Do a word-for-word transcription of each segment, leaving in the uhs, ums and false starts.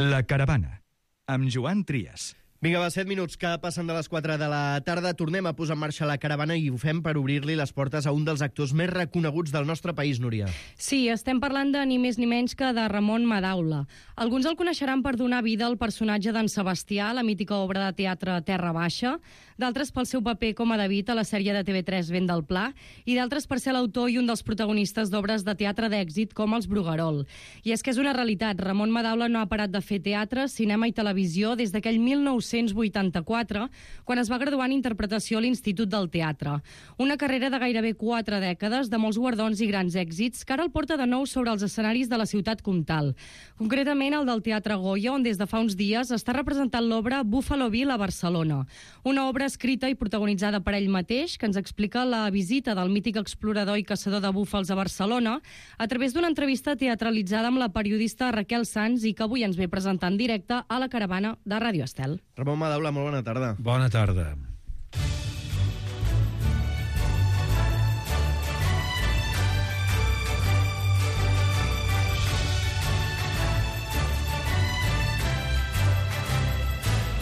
La Caravana, amb Joan Trias. Vinga, va, set minuts que passen de les quatre de la tarda. Tornem a posar en marxa la caravana i ho fem per obrir-li les portes a un dels actors més reconeguts del nostre país, Núria. Sí, estem parlant de ni més ni menys que de Ramon Madaula. Alguns el coneixeran per donar vida al personatge d'en Sebastià, la mítica obra de teatre Terra Baixa, d'altres pel seu paper com a David a la sèrie de T V tres Vent del Pla, i d'altres per ser l'autor i un dels protagonistes d'obres de teatre d'èxit com Els Bruguerol. I és que és una realitat, Ramon Madaula no ha parat de fer teatre, cinema i televisió des d'aquell mil nou-cents vuitanta-quatre, quan es va graduar en interpretació a l'Institut del Teatre. Una carrera de gairebé quatre dècades, de molts guardons i grans èxits, que ara el porta de nou sobre els escenaris de la ciutat comtal. Concretament el del Teatre Goya, on des de fa uns dies està representant l'obra Buffalo Bill a Barcelona. Una obra escrita i protagonitzada per ell mateix, que ens explica la visita del mític explorador i caçador de búfals a Barcelona a través d'una entrevista teatralitzada amb la periodista Raquel Sans i que avui ens ve presentar en directe a la caravana de Ràdio Estel. Ramon Madaula, molt bona tarda. Bona tarda.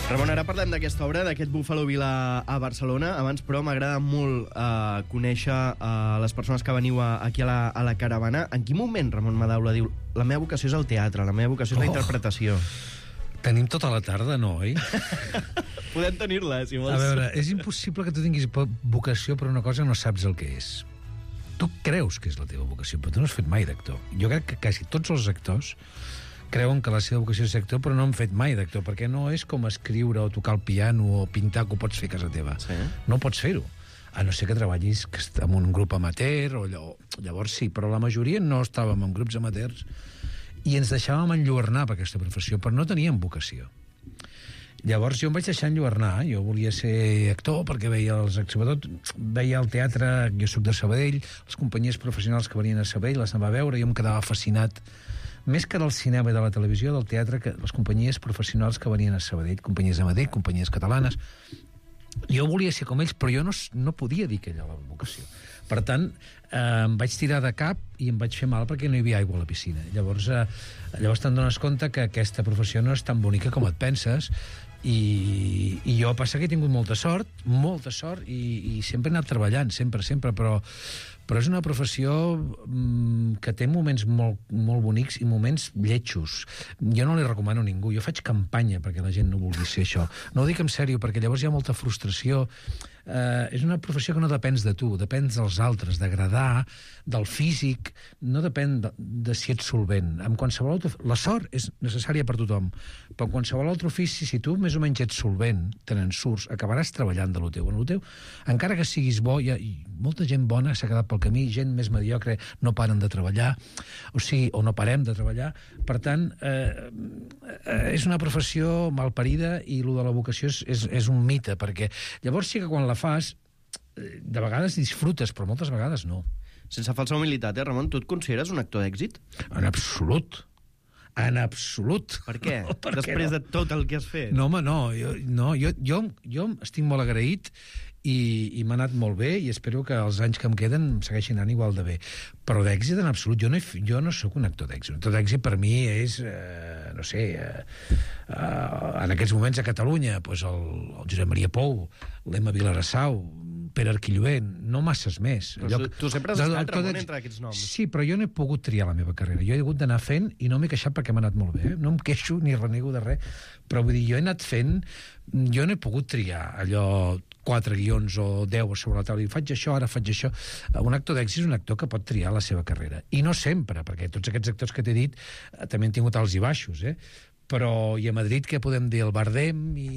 Ramon, ara parlem d'aquesta obra, d'aquest Buffalo Bill a, a Barcelona. Abans, però, m'agrada molt eh, conèixer eh, les persones que veniu a, aquí a la, a la caravana. En quin moment Ramon Madaula diu la meva vocació és el teatre, la meva vocació és la Oh. interpretació? Tenim tota la tarda, no, oi? Podem tenir-la, si vols. A veure, és impossible que tu tinguis vocació per una cosa que no saps el que és. Tu creus que és la teva vocació, però tu no has fet mai d'actor. Jo crec que quasi tots els actors creuen que la seva vocació és actor, però no han fet mai d'actor, perquè no és com escriure o tocar el piano o pintar, que ho pots fer a casa teva. Sí. No pots fer-ho. A no ser que treballis en un grup amateur, o allò, llavors sí, però la majoria no estàvem en grups amateurs i ens deixàvem enlluernar per aquesta professió, però no teníem vocació. Llavors jo em vaig deixar enlluernar, jo volia ser actor perquè veia els, sobretot veia el teatre, jo soc de Sabadell, les companyies professionals que venien a Sabadell les anava a veure, jo em quedava fascinat més que del cinema i de la televisió, del teatre, que les companyies professionals que venien a Sabadell, companyies de Madrid, companyies catalanes. Jo volia ser com ells, però jo no, no podia dir que era la vocació. Per tant, eh, em vaig tirar de cap i em vaig fer mal perquè no hi havia aigua a la piscina. Llavors, eh, llavors te'n dones compte que aquesta professió no és tan bonica com et penses, i, i jo passa que he tingut molta sort, molta sort, i, i sempre he anat treballant, sempre, sempre, però, però és una professió mm, que té moments molt, molt bonics i moments lletjos. Jo no li recomano a ningú, jo faig campanya perquè la gent no vulgui ser això. No ho dic en sèrio, perquè llavors hi ha molta frustració. Eh, és una professió que no depens de tu, depens dels altres, d'agradar, del físic, no depèn de, de si ets solvent. En qualsevol altre, la sort és necessària per tothom, però en qualsevol altre ofici, si tu més o menys ets solvent, te n'en surts, acabaràs treballant de lo teu. En lo teu, encara que siguis bo, hi ha i molta gent bona s'ha quedat pel camí, gent més mediocre no paren de treballar, o sigui, o no parem de treballar. Per tant, eh, eh, és una professió malparida i lo de la vocació és, és, és un mite, perquè llavors sí que quan la fas, de vegades disfrutes, però moltes vegades no. Sense falsa humilitat, eh, Ramon? Tu et consideres un actor d'èxit? En absolut. En absolut. Per què? Per Després què no? de tot el que has fet. No, home, no. Jo, no, jo, jo, jo estic molt agraït i, i m'ha anat molt bé i espero que els anys que em queden segueixin anant igual de bé. Però d'èxit en absolut. Jo no, he, jo no sóc un actor d'èxit. Un actor d'èxit per mi és, eh, no sé, eh, eh, en aquests moments a Catalunya, pues el, el Josep Maria Pou, l'Emma Vilarassau, Pere Arquillover, no masses més. Però tu, tu sempre has estat, Ramon, entre aquests noms. Sí, però jo no he pogut triar la meva carrera. Jo he hagut d'anar fent i no m'he queixat perquè m'ha anat molt bé. Eh? No em queixo ni renego de res. Però vull dir, jo he anat fent... Jo no he pogut triar allò quatre guions o deu sobre la taula i faig això, ara faig això. Un actor d'èxit és un actor que pot triar la seva carrera. I no sempre, perquè tots aquests actors que t'he dit eh, també han tingut alts i baixos, eh? Però i a Madrid què podem dir? El Bardem i,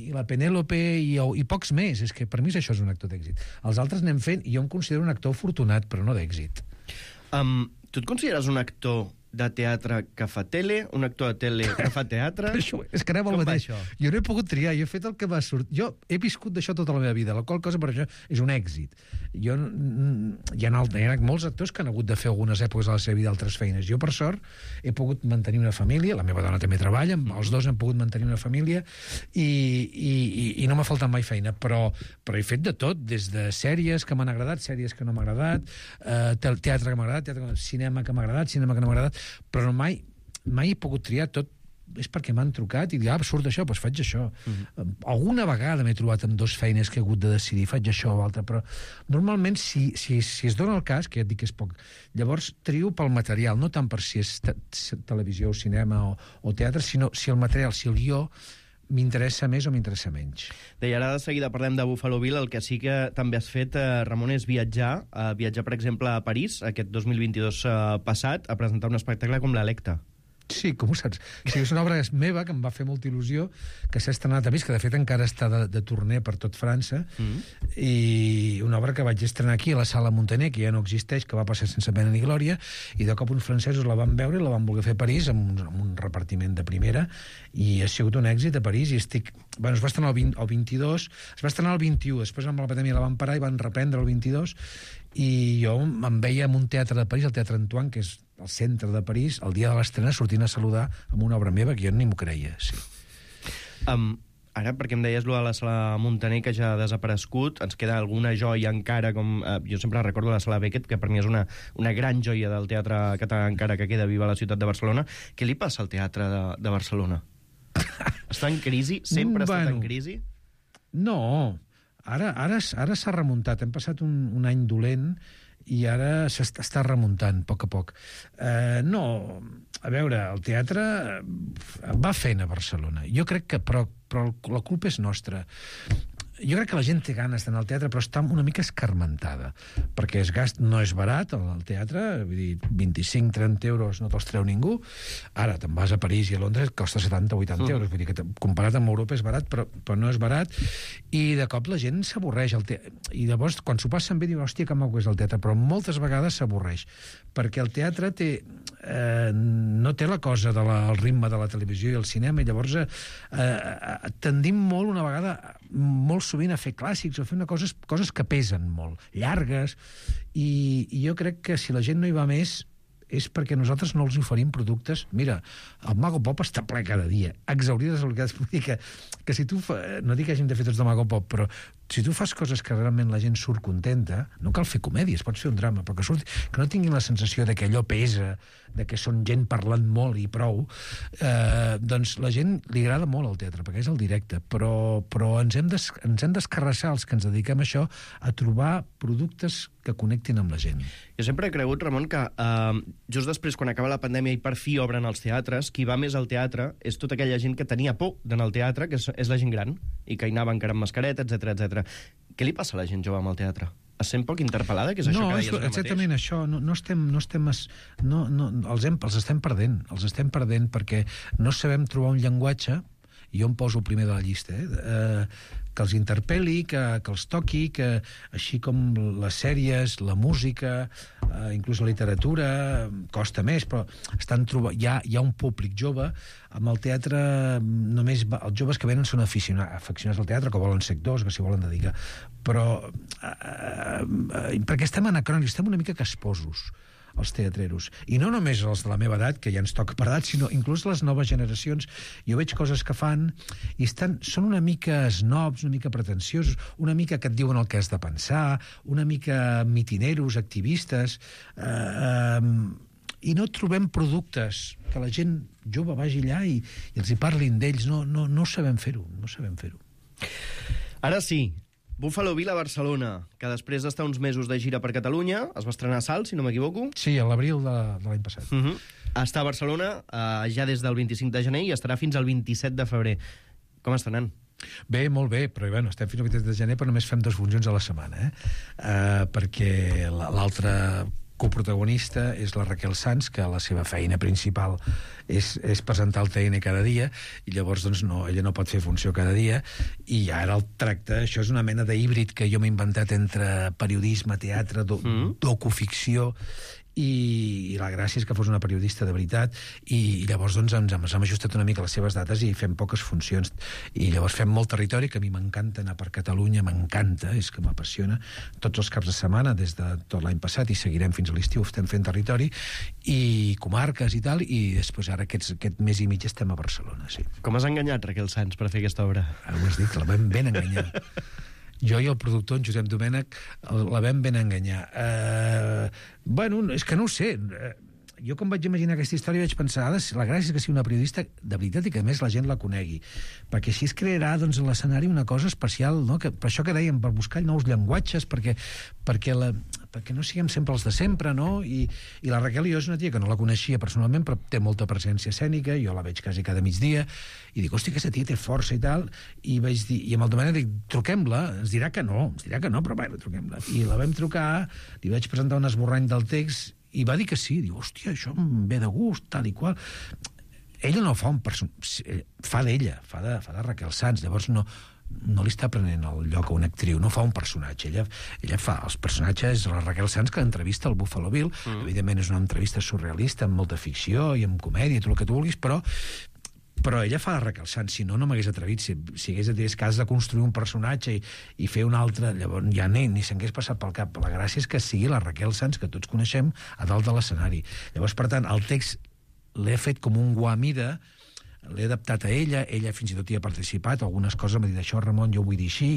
i la Penèlope i, i pocs més. És que per mi això és un actor d'èxit. Els altres anem fent i jo em considero un actor afortunat, però no d'èxit. Um, tu et consideres un actor de teatre que fa tele, un actor de tele que fa teatre? Això, és que anem al Com va mateix. això? Jo no he pogut triar, jo he fet el que va sortir. Jo he viscut d'això tota la meva vida, la qual cosa per això és un èxit. Jo, hi ha, alt, hi ha molts actors que han hagut de fer algunes èpoques de la seva vida altres feines. Jo, per sort, he pogut mantenir una família, la meva dona també treballa, els dos han pogut mantenir una família i, i, i, i no m'ha faltat mai feina, però, però he fet de tot, des de sèries que m'han agradat, sèries que no m'ha agradat, eh, teatre que m'ha agradat, teatre que, cinema que m'ha agradat, cinema que no m'ha agradat, però mai, mai he pogut triar tot. és perquè m'han trucat i dic, ah, surt això, doncs faig això. Mm-hmm. Alguna vegada m'he trobat amb dos feines que he hagut de decidir, faig això o altre, però normalment si, si, si es dona el cas, que ja et dic que és poc, llavors trio pel material, no tant per si és te televisió o cinema o, o teatre, sinó si el material, si el guió m'interessa més o m'interessa menys. Deia, ara de seguida parlem de Buffalo Bill, el que sí que també has fet, eh, Ramon, és viatjar, eh, viatjar, per exemple, a París, aquest dos mil vint-i-dos eh, passat, a presentar un espectacle com l'Electa. Sí, com ho saps? O sigui, és una obra meva que em va fer molta il·lusió, que s'ha estrenat a París, que de fet encara està de, de torner per tot França, mm. i una obra que vaig estrenar aquí a la Sala Montaner, que ja no existeix, que va passar sense pena ni glòria, i de cop uns francesos la van veure i la van voler fer a París amb un, amb un repartiment de primera, i ha sigut un èxit a París, i estic... Bueno, es va estrenar el, vint, el vint-i-dos, es va estrenar el vint-i-u, després amb la pandèmia la van parar i van reprendre el vint-i-dos, i jo em veia en un teatre de París, el Teatre Antoine, que és al centre de París, el dia de l'estrena sortint a saludar amb una obra meva que jo ni m'ho creia, sí. Um, ara, perquè em deies lo de la Sala Montaner, que ja ha desaparegut, ens queda alguna joia encara, com uh, jo sempre recordo la Sala Beckett, que per mi és una, una gran joia del teatre català encara que queda viva a la ciutat de Barcelona. Què li passa al teatre de, de Barcelona? Està en crisi? Sempre ha estat bueno, en crisi? No, ara ara ara s'ha remuntat. Hem passat un, un any dolent i ara s'està remuntant, a poc a poc. Eh, no, a veure, el teatre va fent a Barcelona. Jo crec que, però, però la culpa és nostra. Jo crec que la gent té ganes d'anar al teatre, però està una mica escarmentada, perquè es gast, no és barat el teatre, vull dir, vint-i-cinc trenta euros no te'ls treu ningú. Ara te'n vas a París i a Londres, costa setanta vuitanta mm. euros, vull dir que comparat amb Europa és barat, però, però no és barat, i de cop la gent s'avorreix. I llavors, quan s'ho passen bé, diuen, hòstia, que maco és el teatre, però moltes vegades s'avorreix, perquè el teatre té, eh, no té la cosa del de ritme de la televisió i el cinema, i llavors eh, eh, tendim molt una vegada, molt sovint a fer clàssics o fer una coses, coses que pesen molt, llargues, i, i jo crec que si la gent no hi va més és perquè nosaltres no els oferim productes. Mira, el Mago Pop està ple cada dia, exaurides obligades. Vull dir que, que si tu fa, no dic que hàgim de fer tots de Mago Pop, però si tu fas coses que realment la gent surt contenta, no cal fer comèdies, pots fer un drama, però que, surti, que no tinguin la sensació de que allò pesa, de que són gent parlant molt i prou, eh, doncs la gent li agrada molt el teatre, perquè és el directe, però, però ens hem des, ens hem d'escarrassar, els que ens dediquem a això, a trobar productes que connectin amb la gent. Jo sempre he cregut, Ramon, que eh, just després, quan acaba la pandèmia i per fi obren els teatres, qui va més al teatre és tota aquella gent que tenia por d'anar al teatre, que és, és la gent gran, i que hi anava encara amb mascareta, etcètera, etcètera. Què li passa a la gent jove amb el teatre? Es sent poc interpel·lada, que és això no, que deies ara mateix? No, exactament això. No, no estem... No estem es, no, no, els, hem, els estem perdent. Els estem perdent perquè no sabem trobar un llenguatge, i jo em poso el primer de la llista, eh, eh, que els interpel·li, que, que els toqui, que així com les sèries, la música, eh, inclús la literatura, costa més, però estan trobant, hi, ha, hi ha un públic jove. Amb el teatre, només va, els joves que venen són aficionats, aficionats al teatre, que volen ser actors, que s'hi volen dedicar. Però, eh, eh, perquè estem anacrònics, estem una mica casposos, els teatreros. I no només els de la meva edat, que ja ens toca per edat, sinó inclús les noves generacions. Jo veig coses que fan i estan, són una mica snobs, una mica pretensiosos, una mica que et diuen el que has de pensar, una mica mitineros, activistes, eh, eh, i no trobem productes que la gent jove vagi allà i, i els hi parlin d'ells. No, no, no sabem fer-ho, no sabem fer-ho. Ara sí, Buffalo Bill a Barcelona, que després d'estar uns mesos de gira per Catalunya, es va estrenar a Salt, si no m'equivoco. Sí, a l'abril de, de l'any passat. Uh -huh. Està a Barcelona eh, ja des del vint-i-cinc de gener i estarà fins al vint-i-set de febrer. Com està anant? Bé, molt bé, però bueno, estem fins al vint-i-set de gener, però només fem dues funcions a la setmana, eh? Uh, perquè l'altra coprotagonista és la Raquel Sanz, que la seva feina principal és, és presentar el T N cada dia, i llavors doncs, no, ella no pot fer funció cada dia, i ara el tracte, això és una mena d'híbrid que jo m'he inventat entre periodisme, teatre, do, mm. docuficció, i, i la gràcia és que fos una periodista de veritat, i, i llavors doncs, ens, ens hem ajustat una mica les seves dates i fem poques funcions, i llavors fem molt territori, que a mi m'encanta anar per Catalunya, m'encanta, és que m'apassiona, tots els caps de setmana des de tot l'any passat, i seguirem fins a l'estiu, estem fent territori i comarques i tal, i després ara aquests, aquest mes i mig estem a Barcelona, sí. Com has enganyat Raquel Sanz per fer aquesta obra? Ara ho has dit, la vam ben enganyar. Jo i el productor, en Josep Domènech, la vam ben enganyar. Uh, bueno, és que no ho sé. jo quan vaig imaginar aquesta història vaig pensar, la gràcia és que sigui una periodista de veritat i que a més la gent la conegui, perquè així es crearà doncs, a l'escenari una cosa especial, no? Que, per això que dèiem, per buscar nous llenguatges, perquè, perquè, la, perquè no siguem sempre els de sempre, no? I, i la Raquel i jo és una tia que no la coneixia personalment, però té molta presència escènica, jo la veig quasi cada migdia, i dic, hòstia, aquesta tia té força i tal, i vaig dir, i amb el Domènec dic, truquem-la, ens dirà que no, ens dirà que no, però bueno, truquem-la. I la vam trucar, li vaig presentar un esborrany del text, i va dir que sí, diu, hòstia, això em ve de gust, tal i qual. Ella no fa un personatge, fa d'ella, fa de, fa de Raquel Sanz, llavors no, no li està prenent el lloc a una actriu, no fa un personatge, ella, ella fa els personatges, la Raquel Sanz que entrevista el Buffalo Bill, mm. evidentment és una entrevista surrealista, amb molta ficció i amb comèdia, tot el que tu vulguis, però però ella fa de Raquel Sanz, si no, no m'hagués atrevit. Si, si hagués de dir que has de construir un personatge i, i fer un altre, llavors ja ni, ni s'hagués passat pel cap. La gràcia és que sigui la Raquel Sanz, que tots coneixem, a dalt de l'escenari. Llavors, per tant, el text l'he fet com un guamida, l'he adaptat a ella, ella fins i tot hi ha participat, algunes coses m'ha dit, això, Ramon, jo ho vull dir així,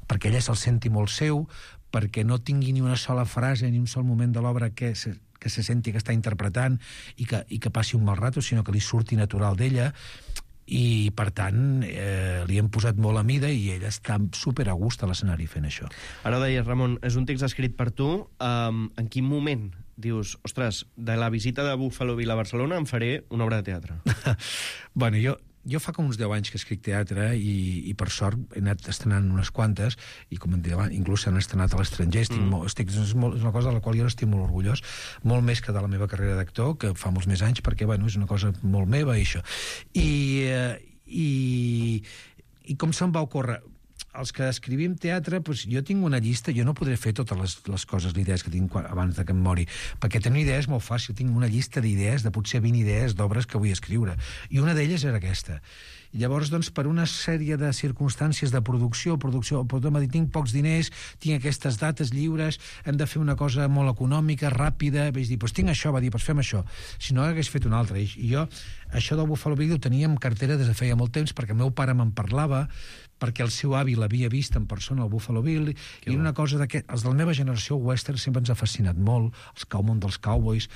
perquè ella se'l senti molt seu, perquè no tingui ni una sola frase ni un sol moment de l'obra que se, que se senti que està interpretant i que, i que passi un mal rato, sinó que li surti natural d'ella, i per tant eh, li hem posat molt a mida i ella està super a gust a l'escenari fent això. Ara ho deies, Ramon, és un text escrit per tu. Um, en quin moment dius, ostres, de la visita de Buffalo Bill a Barcelona em faré una obra de teatre? Bueno, jo, jo fa com uns deu anys que escric teatre i, i per sort he anat estrenant unes quantes i com em deia, inclús s'han estrenat a l'estranger. Estic mm. molt, estic, és, molt, és una cosa de la qual jo estic molt orgullós, molt més que de la meva carrera d'actor, que fa molts més anys, perquè bueno, és una cosa molt meva i això. I, eh, i, i com se'm va ocórrer? Els que escrivim teatre, doncs jo tinc una llista, jo no podré fer totes les, les coses, les idees que tinc quan, abans de que em mori, perquè tenir idees és molt fàcil, tinc una llista d'idees, de potser vint idees d'obres que vull escriure, i una d'elles era aquesta. I llavors, doncs, per una sèrie de circumstàncies de producció, producció, m'ha dit, tinc pocs diners, tinc aquestes dates lliures, hem de fer una cosa molt econòmica, ràpida, vaig dir, doncs tinc això, va dir, doncs fem això. Si no, hagués fet una altra. I jo, això del Buffalo Bill ho tenia en cartera des de feia molt temps, perquè el meu pare me'n parlava, perquè el seu avi l'havia vist en persona, el Buffalo Bill, que i era una cosa d'aquest... Els de la meva generació, el western sempre ens ha fascinat molt, els cowmon dels cowboys,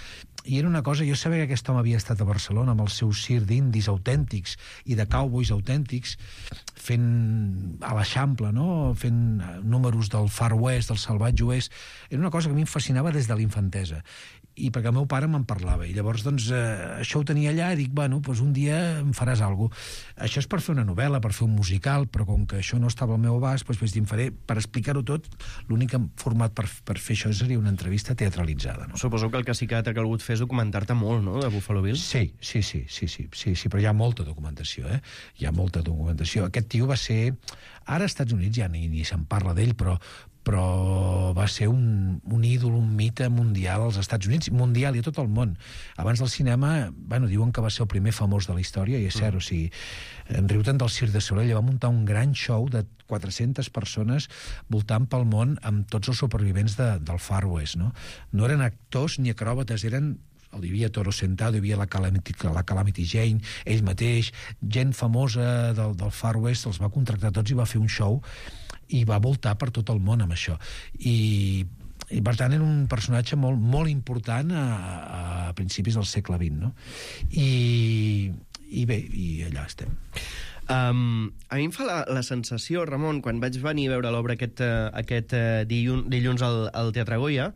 i era una cosa... Jo sabia que aquest home havia estat a Barcelona amb els seus circ d'indis autèntics i de cowboys autèntics, fent a l'Eixample, no? Fent números del Far West, del Salvatge Oest. Era una cosa que a mi em fascinava des de l'infantesa. I perquè el meu pare me'n parlava, i llavors doncs, eh, això ho tenia allà, i dic, bueno, doncs un dia em faràs alguna cosa. Això és per fer una novel·la, per fer un musical, però com que això no estava al meu abast, doncs vaig dir, em faré, per explicar-ho tot, l'únic format per, per fer això seria una entrevista teatralitzada. No? Suposo que el que sí que t'ha calgut fer és documentar-te molt, no?, de Buffalo Bill. Sí, sí, sí, sí, sí, sí, sí, però hi ha molta documentació, eh? Hi ha molta documentació. Aquest tio va ser... Ara als Estats Units ja ni, ni se'n parla d'ell, però però va ser un, un ídol, un mite mundial als Estats Units, mundial i a tot el món. Abans del cinema, bueno, diuen que va ser el primer famós de la història, i és cert, mm. o sigui, en Riuten del Cirque de Soleil va muntar un gran show de quatre-centes persones voltant pel món amb tots els supervivents de, del Far West, no? No eren actors ni acròbates, eren... Hi havia Toro Sentado, hi havia la Calamity, la Calamity Jane, ell mateix, gent famosa del, del Far West, els va contractar tots i va fer un show i va voltar per tot el món amb això. I, i per tant, era un personatge molt, molt important a, a principis del segle vint, no? I, i bé, i allà estem. Um, a mi em fa la, la sensació, Ramon, quan vaig venir a veure l'obra aquest, aquest dilluns, dilluns al, al Teatre Goya,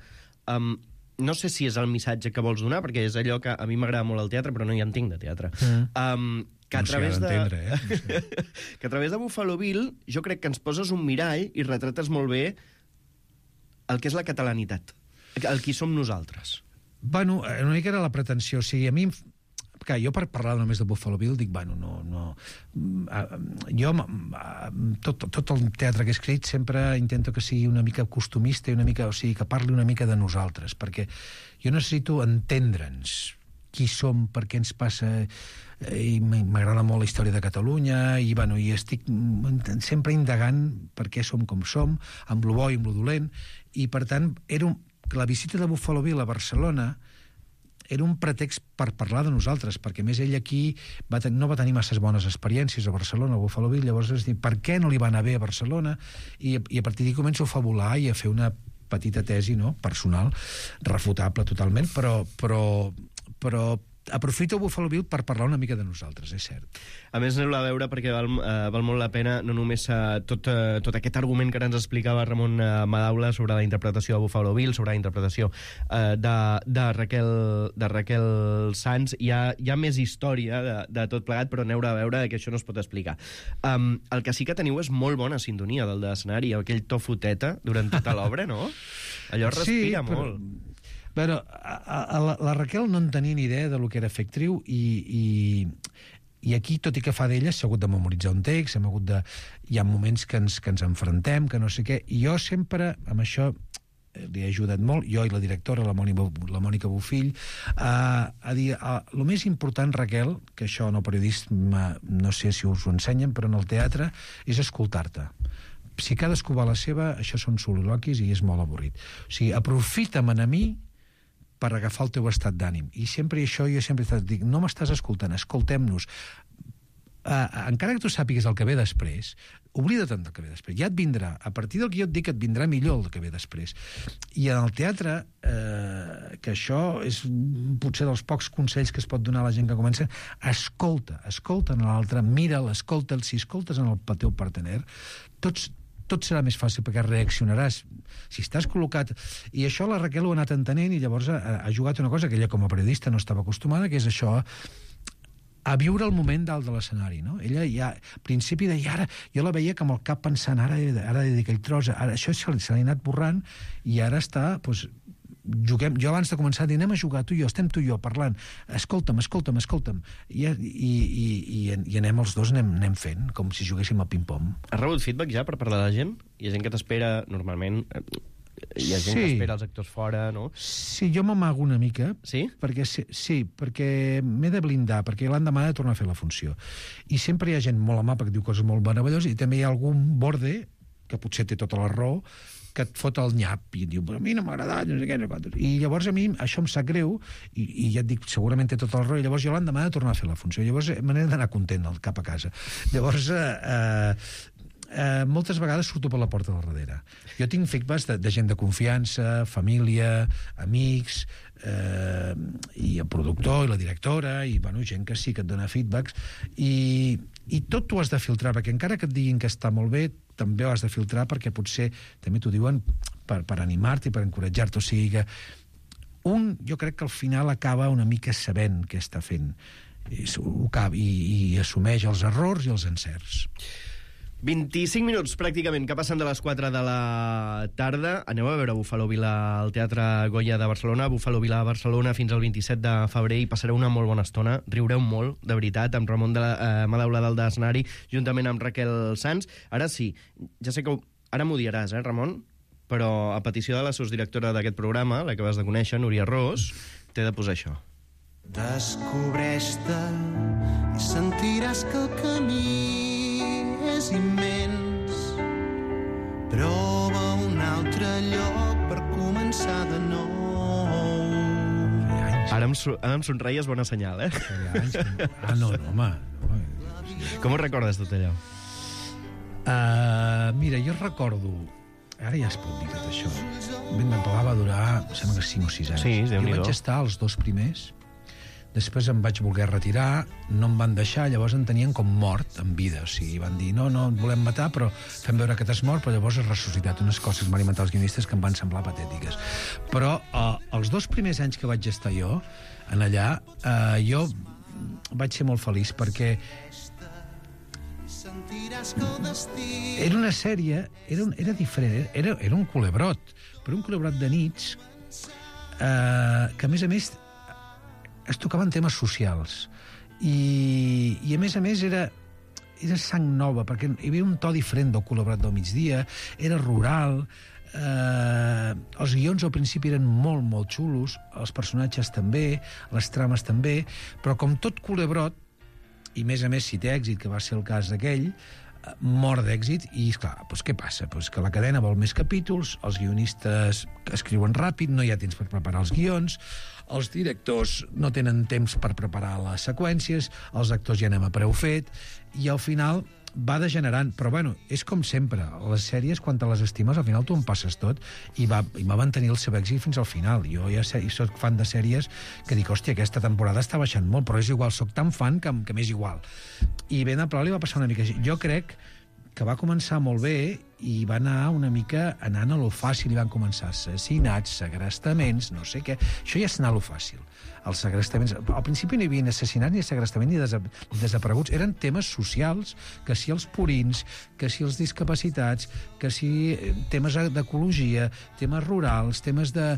um, no sé si és el missatge que vols donar, perquè és allò que a mi m'agrada molt el teatre, però no hi entenc de teatre. Mm. Um, que, a no través de... eh? No sé. que a través de Buffalo Bill jo crec que ens poses un mirall i retrates molt bé el que és la catalanitat, el qui som nosaltres. Bueno, una mica era la pretensió. O sigui, a mi... Que jo per parlar només de Buffalo Bill dic, bueno, no... no jo, tot, tot el teatre que he escrit sempre intento que sigui una mica costumista i una mica, o sigui, que parli una mica de nosaltres, perquè jo necessito entendre'ns qui som, per què ens passa, i m'agrada molt la història de Catalunya, i, bueno, i estic sempre indagant per què som com som, amb lo bo i amb lo dolent, i per tant, era un, la visita de Buffalo Bill a Barcelona era un pretext per parlar de nosaltres, perquè més ell aquí va ten- no va tenir masses bones experiències a Barcelona, a Buffalo Bill, llavors és dir, per què no li va anar bé a Barcelona? I, i a partir d'aquí començo a fabular i a fer una petita tesi, no?, personal, refutable totalment, però, però però aprofito Buffalo Bill per parlar una mica de nosaltres, és cert. A més, aneu-la a veure perquè val, uh, val molt la pena, no només uh, tot, uh, tot aquest argument que ens explicava Ramon uh, Madaula sobre la interpretació de Buffalo Bill, sobre la interpretació uh, de, de, Raquel, de Raquel Sanz. Hi ha, hi ha més història de, de tot plegat, però aneu-la a veure que això no es pot explicar. Um, el que sí que teniu és molt bona sintonia del d'escenari, aquell to foteta durant tota l'obra, no? Allò respira sí, però... molt. Però a, a, la, la Raquel no en tenia ni idea de lo que era fer actriu i, i, i aquí, tot i que fa d'ella, s'ha hagut de memoritzar un text, hem hagut de... hi ha moments que ens, que ens enfrontem, que no sé què, i jo sempre, amb això, li he ajudat molt, jo i la directora, la Mònica, la Mònica Bofill, a, a dir, a, el més important, Raquel, que això en el periodisme, no sé si us ho ensenyen, però en el teatre, és escoltar-te. Si cadascú va a la seva, això són soliloquis i és molt avorrit. O sigui, aprofita'm a mi per agafar el teu estat d'ànim. I sempre això jo sempre dic, no m'estàs escoltant, escoltem-nos. Uh, encara que tu sàpigues el que ve després, oblida-te'n del que ve després. Ja et vindrà. A partir del que jo et dic, et vindrà millor el que ve després. I en el teatre, eh, que això és potser dels pocs consells que es pot donar a la gent que comença, escolta, escolta en l'altre, mira'l, escolta'l. Si escoltes en el teu partener, tots tot serà més fàcil perquè reaccionaràs si estàs col·locat, i això la Raquel ho ha anat entenent i llavors ha, ha jugat una cosa que ella com a periodista no estava acostumada, que és això, a viure el moment dalt de l'escenari, no? Ella ja, al principi deia, ara, jo la veia com el cap pensant, ara, ara he de dir aquell tros, ara, això se li ha anat borrant i ara està, doncs, juguem, jo abans de començar a dir, anem a jugar tu i jo, estem tu i jo parlant, escolta'm, escolta'm, escolta'm, i, i, i, i, i anem els dos, anem, anem fent, com si juguéssim al ping-pong. Has rebut feedback ja per parlar de la gent? Hi ha gent que t'espera, normalment, hi ha gent sí. que espera els actors fora, no? Sí, jo m'amago una mica. Sí? Perquè, sí, sí, perquè m'he de blindar, perquè l'endemà he de tornar a fer la funció. I sempre hi ha gent molt amable que diu coses molt meravelloses i també hi ha algun borde, que potser té tota la raó, que et fot el nyap i diu, però a mi no m'ha agradat, no sé què, no sé què. I llavors a mi això em sap greu i, i ja et dic, segurament té tot el raó i llavors jo l'endemà he de tornar a fer la funció. Llavors me n'he d'anar content cap a casa. Llavors, eh, eh, moltes vegades surto per la porta del darrere. Jo tinc feedbacks de, de gent de confiança, família, amics, eh, i el productor i la directora, i bueno, gent que sí que et dona feedbacks, i, i tot t'ho has de filtrar, perquè encara que et diguin que està molt bé, també ho has de filtrar perquè potser també t'ho diuen per, per animar-te i per encoratjar-te. O sigui que un, jo crec que al final acaba una mica sabent què està fent i, i, i assumeix els errors i els encerts. vint-i-cinc minuts, pràcticament, que passen de les quatre de la tarda. Aneu a veure Buffalo Bill al Teatre Goya de Barcelona, Buffalo Bill a Barcelona fins al vint-i-set de febrer, i passareu una molt bona estona, riureu molt, de veritat, amb Ramon de la, eh, Madaula dalt de l'escenari, juntament amb Raquel Sanz. Ara sí, ja sé que ho, ara m'ho diràs, eh, Ramon? Però a petició de la sosdirectora d'aquest programa, la que vas de conèixer, Núria Ros, t'he de posar això. Descobreix-te i sentiràs que el camí és immens. Prova un altre lloc per començar de nou. Ara em, ara em somreies, bona senyal, eh? Ah, no, no, home. No. Com ho recordes, tot allò? Uh, mira, jo recordo... Ara ja es pot dir tot això. Ben Pagà va durar, sembla que cinc o sis anys. Sí, jo vaig estar als dos primers, després em vaig voler retirar, no em van deixar, llavors em tenien com mort en vida. O sigui, van dir, no, no, et volem matar, però fem veure que t'has mort, però llavors has ressuscitat unes coses que m'han inventat els guionistes que em van semblar patètiques. Però eh, els dos primers anys que vaig estar jo, en allà, eh, jo vaig ser molt feliç, perquè era una sèrie, era, un, era diferent, era, era un culebrot, però un culebrot de nits eh, que, a més a més, es tocaven temes socials. I, i a més a més, era, era sang nova, perquè hi havia un to diferent del culebrot del migdia, era rural, eh, els guions al principi eren molt, molt xulos, els personatges també, les trames també, però com tot culebrot, i més a més si té èxit, que va ser el cas d'aquell, mort d'èxit, i esclar, doncs què passa? Doncs que la cadena vol més capítols, els guionistes escriuen ràpid, no hi ha temps per preparar els guions, els directors no tenen temps per preparar les seqüències, els actors ja anem a preu fet, i al final va degenerant, però bueno, és com sempre, les sèries, quan te les estimes, al final tu en passes tot, i va, i va mantenir el seu èxit fins al final. Jo ja sé, soc fan de sèries que dic, hòstia, aquesta temporada està baixant molt, però és igual, soc tan fan que, que m'és igual. I Ben a Pla li va passar una mica així. Jo crec que va començar molt bé i va anar una mica anant a lo fàcil, i van començar assassinats, segrestaments, no sé què. Això ja és anar a lo fàcil. Els segrestaments... Al principi no hi havia assassinats ni segrestaments ni desa... desapareguts. Eren temes socials, que si els purins, que si els discapacitats, que si temes d'ecologia, temes rurals, temes de...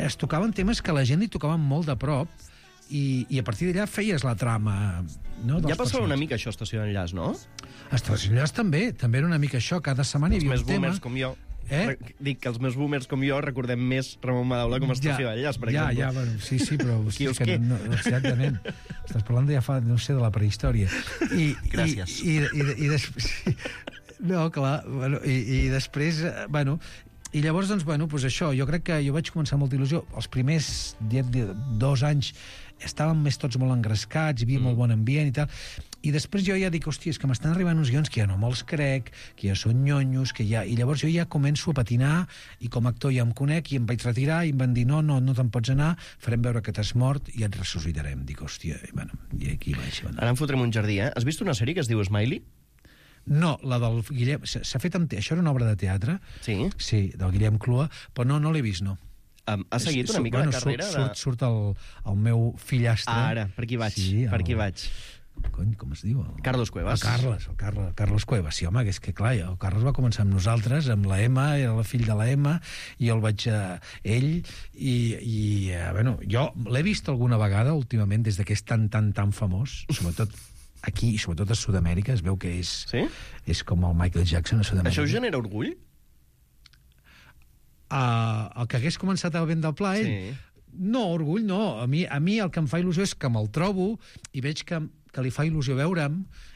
Es tocaven temes que a la gent li tocaven molt de prop, i, i a partir d'allà feies la trama. No, ja passava una mica això, Estació d'Enllaç, no? Estació d'Enllaç també, també era una mica això, cada setmana hi havia un tema. Els més boomers com jo, eh? dic que els més boomers com jo recordem més Ramon Madaula com a Estació ja, d'Enllaç, per ja, exemple. Ja, bueno, sí, sí, però... Qui us que què? No, exactament. Estàs parlant de ja fa, no sé, de la prehistòria. I, Gràcies. I, i, i, i després... No, clar, bueno, i, i després, bueno... I llavors, doncs, bueno, doncs això, jo crec que jo vaig començar amb molta il·lusió. Els primers dos anys estàvem més tots molt engrescats, hi havia mm. molt bon ambient i tal. I després jo ja dic, hòstia, és que m'estan arribant uns guions que ja no me'ls crec, que ja són nyonyos, que ja... I llavors jo ja començo a patinar, i com a actor ja em conec, i em vaig retirar, i em van dir, no, no, no te'n pots anar, farem veure que t'has mort i et ressuscitarem. Dic, hòstia, i, bueno, i aquí vaig. Bueno. Ara en fotrem un jardí, eh? Has vist una sèrie que es diu Smiley? No, la del Guillem... S'ha fet amb... Això era una obra de teatre. Sí? Sí, del Guillem Clua, però no, no l'he vist, no. Um, has seguit una mica bueno, la carrera? Surt, surt, surt el, el meu fillastre. Ah, ara, per aquí vaig, sí, per aquí el... vaig. Cony, com es diu? El... Carlos Cuevas. El Carles, el Carles, el Carles Cuevas. Sí, home, que és que clar, el Carles va començar amb nosaltres, amb la Emma, era el fill de la Emma, i jo el vaig a ell, i, i eh, bueno, jo l'he vist alguna vegada últimament, des que és tan, tan, tan famós, sobretot aquí, i sobretot a Sud-amèrica, es veu que és, sí? és com el Michael Jackson a Sud-amèrica. Això us genera orgull? Uh, el que hagués començat a Ben del Pla, ell... Sí. No, orgull no. A mi, a mi el que em fa il·lusió és que me'l trobo i veig que, que li fa il·lusió veure'm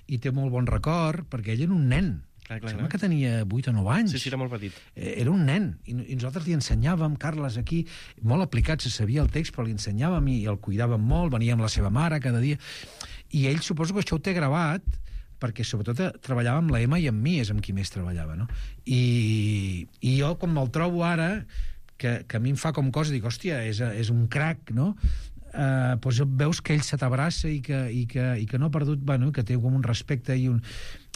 i té molt bon record, perquè ell era un nen. Clar, clar, Sembla clar. que tenia vuit o nou anys. Sí, sí, era molt petit. Era un nen, i, i nosaltres li ensenyàvem, Carles, aquí, molt aplicat, se sabia el text, però li ensenyàvem i el cuidàvem molt, venia amb la seva mare cada dia, i ell suposo que això ho té gravat, perquè sobretot treballava amb la Emma i amb mi, és amb qui més treballava, no? I, i jo, com me'l trobo ara, que, que a mi em fa com cosa, dic, hòstia, és, és un crac, no? Uh, doncs veus que ell se t'abraça i, que, i, que, i que no ha perdut, bueno, que té com un respecte i, un,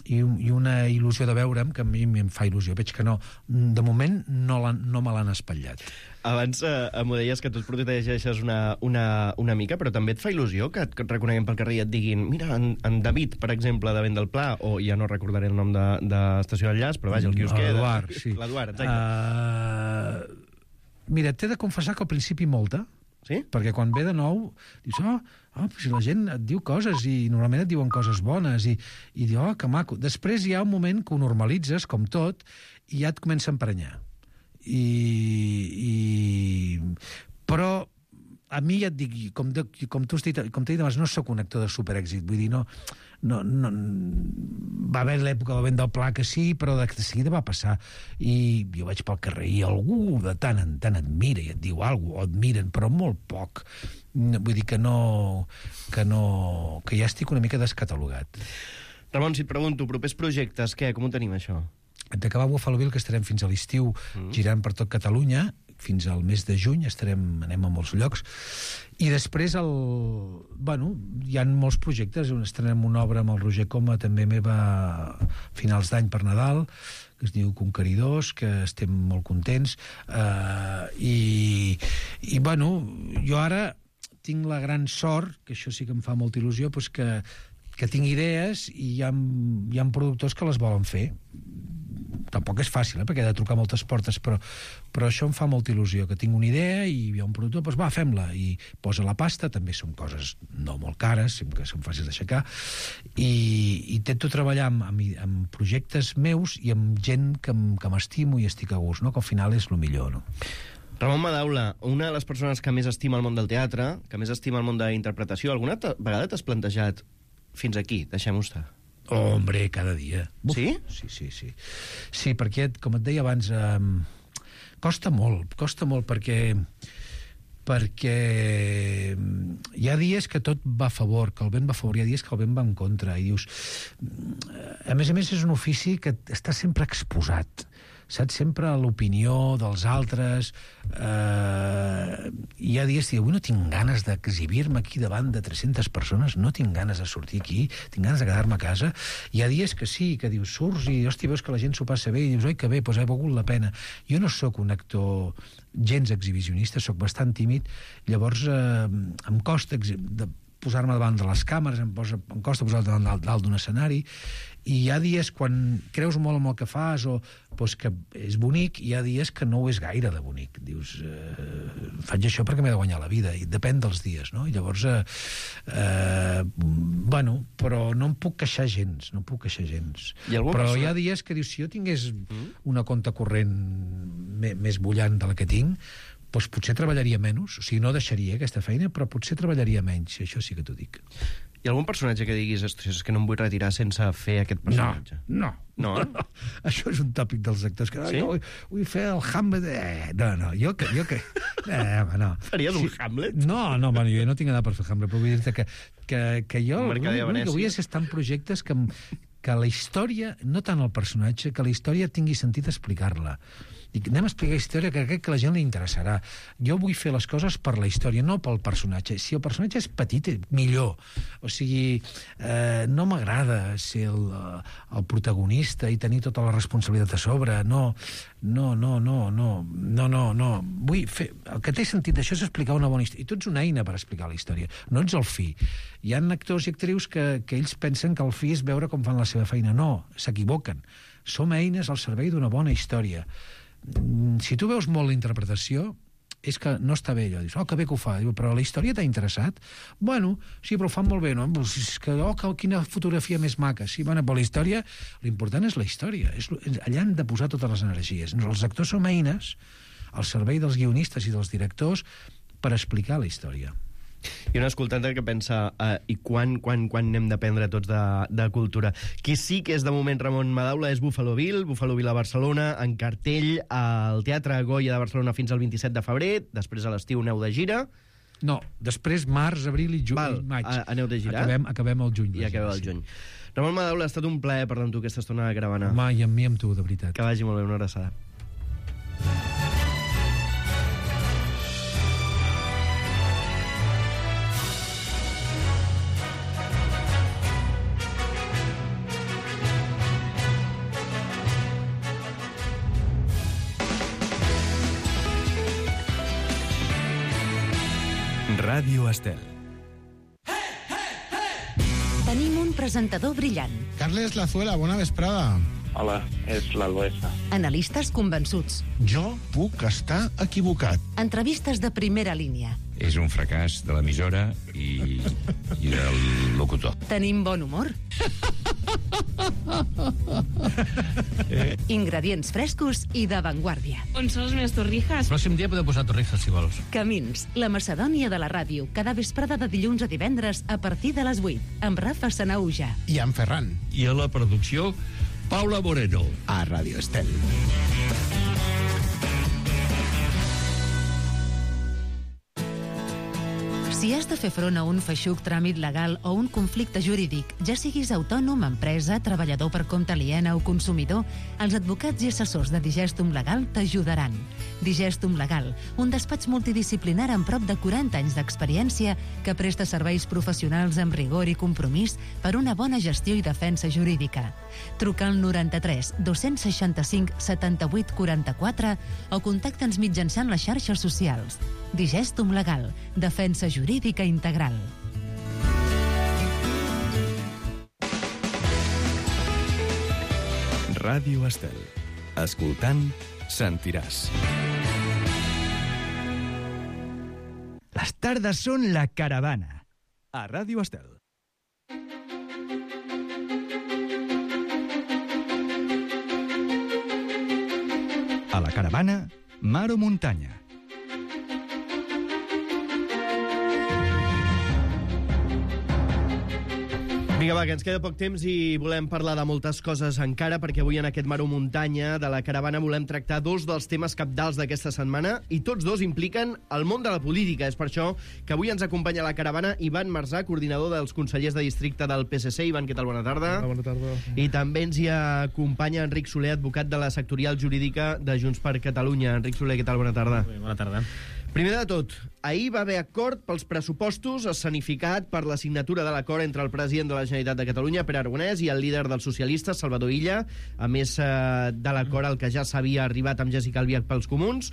i, un, i una il·lusió de veure'm, que a mi em fa il·lusió. Veig que no, de moment no, no me l'han espatllat. Abans eh, m'ho deies que tu et protegeixes una, una, una mica, però també et fa il·lusió que et, que et reconeguem pel carrer i et diguin, mira, en, en David, per exemple, de Ben del Pla, o ja no recordaré el nom de, de Estació d'Enllaç, però vaja, el quiosquer... L'Eduard, sí. L'Eduard, exacte. Uh, mira, t'he de confessar que al principi molta, sí? Perquè quan ve de nou, dius, oh, oh, si la gent et diu coses i normalment et diuen coses bones i, i diu, oh, que maco. Després hi ha un moment que ho normalitzes, com tot, i ja et comença a emprenyar. I, i... Però a mi ja et dic, com, de, com tu has dit, com t'he dit abans, no sóc un actor de superèxit, vull dir, no, no, no, va haver l'època del Ben del Pla que sí, però de, de seguida va passar, i jo vaig pel carrer i algú de tant en tant et mira i et diu alguna cosa, o et miren, però molt poc. Vull dir que no, que no, que ja estic una mica descatalogat. Ramon, si et pregunto, propers projectes, què? Com ho tenim, això? D'acabar Buffalo Bill, que estarem fins a l'estiu mm. girant per tot Catalunya, fins al mes de juny, estarem, anem a molts llocs, i després el, bueno, hi ha molts projectes, estrenem una obra amb el Roger Coma, també meva, a finals d'any per Nadal, que es diu Conqueridors, que estem molt contents, eh, i, i bueno, jo ara tinc la gran sort, que això sí que em fa molta il·lusió, doncs que, que tinc idees i hi ha, hi ha productors que les volen fer. Tampoc és fàcil, eh, perquè he de trucar moltes portes, però, però això em fa molta il·lusió, que tinc una idea i hi ha un productor, doncs va, fem-la, i posa la pasta, també són coses no molt cares, que són fàcils d'aixecar, i, i intento treballar amb, amb, amb projectes meus i amb gent que, que m'estimo i estic a gust, no? Que al final és el millor, no? Ramon Madaula, una de les persones que més estima el món del teatre, que més estima el món de la interpretació, alguna vegada t'has plantejat fins aquí, deixem-ho estar? Oh, hombre, cada dia. Uf, sí? Sí, sí, sí. Sí, perquè, com et deia abans, eh, costa molt, costa molt perquè, perquè hi ha dies que tot va a favor, que el vent va a favor, hi ha dies que el vent va en contra, i dius... A més a més, és un ofici que està sempre exposat, saps? Sempre a l'opinió dels altres. Eh, hi ha dies que diu, avui no tinc ganes d'exhibir-me aquí davant de tres-centes persones, no tinc ganes de sortir aquí, tinc ganes de quedar-me a casa. Hi ha dies que sí, que dius, surts i, hòstia, veus que la gent s'ho passa bé, i dius, oi, que bé, doncs ha valgut la pena. Jo no sóc un actor gens exhibicionista, sóc bastant tímid, llavors eh, em costa de posar-me davant de les càmeres, em, posa, em costa posar-me davant dalt d'un escenari, i hi ha dies quan creus molt en el que fas o doncs, que és bonic, i hi ha dies que no ho és gaire de bonic. Dius, eh, faig això perquè m'he de guanyar la vida, i depèn dels dies, no? I llavors, eh, eh, bueno, però no em puc queixar gens, no em puc queixar gens. Però persona... hi ha dies que dius, si jo tingués una compte corrent més bullant de la que tinc, doncs potser treballaria menys, o sigui, no deixaria aquesta feina, però potser treballaria menys, això sí que t'ho dic. Hi ha algun personatge que diguis, ostres, és que no em vull retirar sense fer aquest personatge? No, no. No? no. Això és un tòpic dels actors, que sí? jo vull, vull fer el Hamlet... Eh, no, no, jo que... Jo que eh, no. Faries sí. un Hamlet? No, no, bueno, jo no tinc edat per fer Hamlet, però vull dir-te que, que, que jo... Un mercader de Venècia. Que vull és estar en projectes que, que la història, no tant el personatge, que la història tingui sentit explicar-la. Dic, anem a explicar història que crec que a la gent li interessarà. Jo vull fer les coses per la història, no pel personatge. Si el personatge és petit, millor. O sigui, eh, no m'agrada ser el, el protagonista i tenir tota la responsabilitat a sobre. No, no, no, no, no, no, no, no. Vull fer... El que té sentit d'això és explicar una bona història. I tu ets una eina per explicar la història. No ets el fi. Hi ha actors i actrius que, que ells pensen que el fi és veure com fan la seva feina. No, s'equivoquen. Som eines al servei d'una bona història. Si tu veus molt la interpretació, és que no està bé allò. Dius, oh, que bé que ho fa. Diu, però la història t'ha interessat? Bueno, sí, però ho fan molt bé, no? És que, oh, que, quina fotografia més maca. Sí, bueno, però la història, l'important és la història. És, allà han de posar totes les energies. Els actors som eines al servei dels guionistes i dels directors per explicar la història. I un escoltant que pensa, uh, i quan, quan, quan n'hem d'aprendre tots de, de cultura? Qui sí que és de moment Ramon Madaula és Buffalo Bill, Buffalo Bill a Barcelona, en cartell al Teatre Goya de Barcelona fins al vint-i-set de febrer, després a l'estiu aneu de gira. No, després març, abril i juny, Val, maig. A, aneu de girar? Acabem, acabem el juny. I acabeu el juny. Ramon Madaula, ha estat un plaer parlar amb tu aquesta estona de Caravana. Home, i amb mi, amb tu, de veritat. Que vagi molt bé, una abraçada. Ràdio Estel. Tenim un presentador brillant. Carles Lazuela, bona vesprada. Hola, és l'Albesa. Analistes convençuts. Jo puc estar equivocat. Entrevistes de primera línia. És un fracàs de l'emissora i, i del locutor. Tenim bon humor. Ingredients frescos i d'avantguàrdia. On són les meves torrijas? El pròxim dia podeu posar torrijas, si vols. Camins, la Macedònia de la ràdio, cada vesprada de dilluns a divendres a partir de les vuit, amb Rafa Sanauja. I en Ferran. I a la producció, Paula Moreno. A Ràdio Estel. Si has de fer front a un feixuc tràmit legal o un conflicte jurídic, ja siguis autònom, empresa, treballador per compte aliena o consumidor, els advocats i assessors de Digestum Legal t'ajudaran. Digestum Legal, un despatx multidisciplinar amb prop de quaranta anys d'experiència que presta serveis professionals amb rigor i compromís per una bona gestió i defensa jurídica. Truca al noranta-tres dos-cents seixanta-cinc setanta-vuit quaranta-quatre o contacta'ns mitjançant les xarxes socials. Digestum Legal, defensa jurídica integral. Ràdio Estel. Escoltant, sentiràs. Les tardes són la caravana. A Ràdio Estel. A la caravana, mar o muntanya. Vinga, va, que ens queda poc temps i volem parlar de moltes coses encara, perquè avui en aquest Mar o Muntanya de la Caravana volem tractar dos dels temes cabdals d'aquesta setmana i tots dos impliquen el món de la política. És per això que avui ens acompanya a la Caravana Ivan Marzà, coordinador dels consellers de districte del P S C. Ivan, què tal? Bona tarda. Hola, bona tarda. I també ens hi acompanya Enric Soler, advocat de la sectorial jurídica de Junts per Catalunya. Enric Soler, què tal? Bona tarda. Bé, bona tarda. Primer de tot, ahir va haver acord pels pressupostos escenificat per la signatura de l'acord entre el president de la Generalitat de Catalunya, Pere Aragonès, i el líder dels socialistes, Salvador Illa, a més eh, de l'acord al que ja s'havia arribat amb Jessica Albiach pels comuns.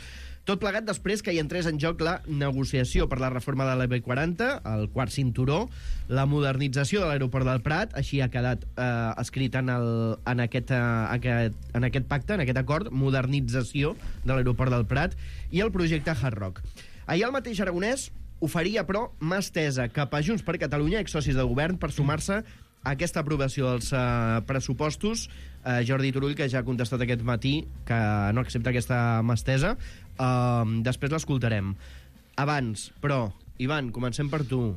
Tot plegat després que hi entrés en joc la negociació per la reforma de la B quaranta, el quart cinturó, la modernització de l'aeroport del Prat, així ha quedat eh, escrit en, el, en, aquest, eh, aquest, en aquest pacte, en aquest acord, modernització de l'aeroport del Prat, i el projecte Hard Rock. Ahir el mateix Aragonès oferia, però, mà estesa cap a Junts per Catalunya, exsocis de govern, per sumar-se a aquesta aprovació dels uh, pressupostos. Uh, Jordi Turull, que ja ha contestat aquest matí que no accepta aquesta mà estesa. Uh, després l'escoltarem. Abans, però, Ivan, comencem per tu.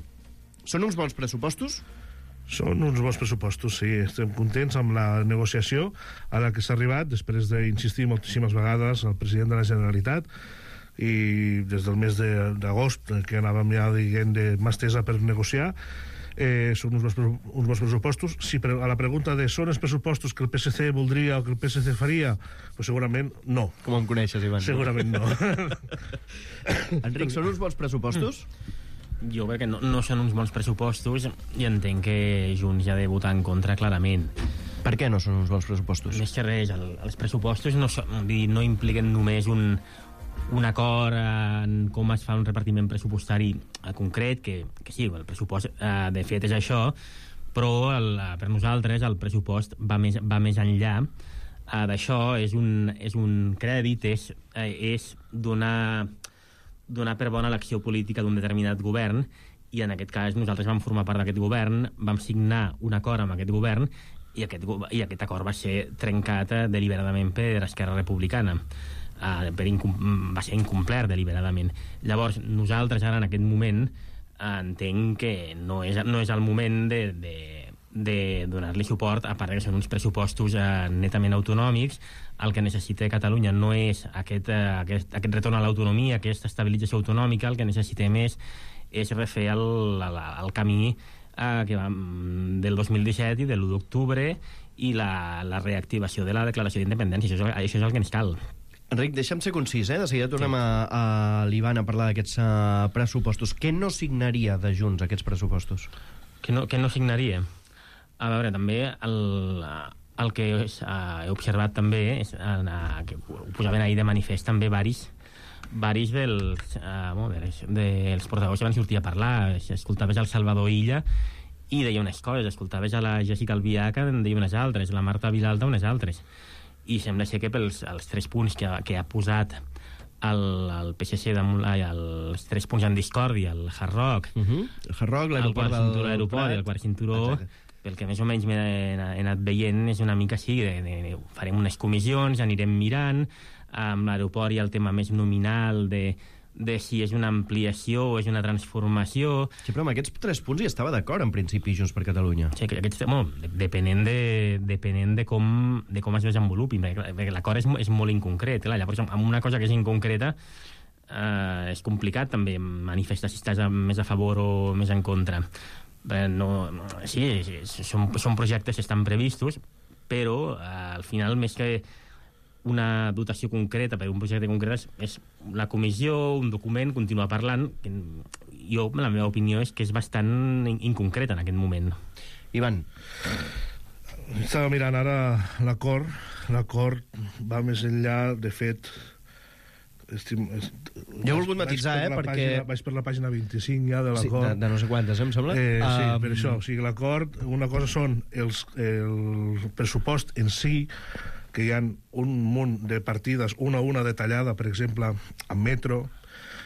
Són uns bons pressupostos? Són uns bons pressupostos, sí. Estem contents amb la negociació a la que s'ha arribat, després d'insistir moltíssimes vegades al president de la Generalitat, i des del mes d'agost, que anàvem ja dient de mà estesa per negociar. Eh, són uns bons, uns bons pressupostos. Si per, a la pregunta de són els pressupostos que el P S C voldria o que el P S C faria, pues segurament no. Com em coneixes, Ivan? Segurament no. Enric, són uns bons pressupostos? Jo crec que no, no són uns bons pressupostos i entenc que Junts ja ha de votar en contra clarament. Per què no són uns bons pressupostos? Més que res, el, els pressupostos no, són, no impliquen només un, un acord en com es fa un repartiment pressupostari concret, que, que sí, el pressupost eh, de fet és això, però el, per nosaltres el pressupost va més, va més enllà eh, d'això. És un, és un crèdit, és, eh, és donar, donar per bona l'acció política d'un determinat govern, i en aquest cas nosaltres vam formar part d'aquest govern, vam signar un acord amb aquest govern, i aquest, i aquest acord va ser trencat eh, deliberadament per Esquerra Republicana. Uh, per incom va ser incomplert deliberadament. Llavors, nosaltres ara en aquest moment uh, entenc que no és, no és el moment de, de, de donar-li suport, a part que són uns pressupostos uh, netament autonòmics. El que necessita Catalunya no és aquest, uh, aquest, aquest retorn a l'autonomia, aquesta estabilització autonòmica. El que necessitem és, és refer el, el, el camí uh, que va del dos mil disset i de l'u d'octubre i la, la reactivació de la declaració d'independència. Això, això és el que ens cal. Enric, deixa'm ser concís, eh? De seguida tornem sí. a, a l'Ivan a parlar d'aquests uh, pressupostos. Què no signaria de Junts, aquests pressupostos? Què no, què no signaria? A veure, també el, el que és, uh, he observat també, és, uh, que ho posaven ahir de manifest també varis, varis dels, uh, molt bé, dels portaveus que van sortir a parlar. Escoltaves el Salvador Illa i deia unes coses, escoltaves a la Jessica Albiach, en deia unes altres, la Marta Vilalta unes altres. I sembla ser que pels els tres punts que, que ha posat el, el P S C damunt, els tres punts en discòrdia, el Hard Rock, uh -huh. el Hard Rock, l'aeroport del l'aeroport i el quart cinturó, exacte. Pel que més o menys m'he anat veient és una mica així, de, de, de, farem unes comissions, anirem mirant, amb l'aeroport hi ha el tema més nominal de de si és una ampliació o és una transformació. Sí, però amb aquests tres punts hi estava d'acord, en principi, Junts per Catalunya. Sí, que aquests, bueno, depenent de, depenent de, com, de com es desenvolupi, perquè l'acord és, és molt inconcret. Clar, llavors, amb una cosa que és inconcreta, eh, és complicat també manifestar si estàs més a favor o més en contra. Eh, no, sí, sí són, són projectes que estan previstos, però eh, al final, més que una dotació concreta per un projecte concret, és la comissió, un document, continuar parlant, que jo, la meva opinió és que és bastant inconcreta en aquest moment. Ivan. Estava mirant ara l'acord. L'acord va més enllà, de fet... Estim, est... Jo he volgut matisar, eh, per perquè... Pàgina, vaig per la pàgina vint-i-cinc ja de l'acord. Sí, de, de no sé quantes, em sembla. Eh, sí, um... per això. O sigui, l'acord, una cosa són els, el pressupost en si, que hi ha un munt de partides, una a una detallada, per exemple, amb metro,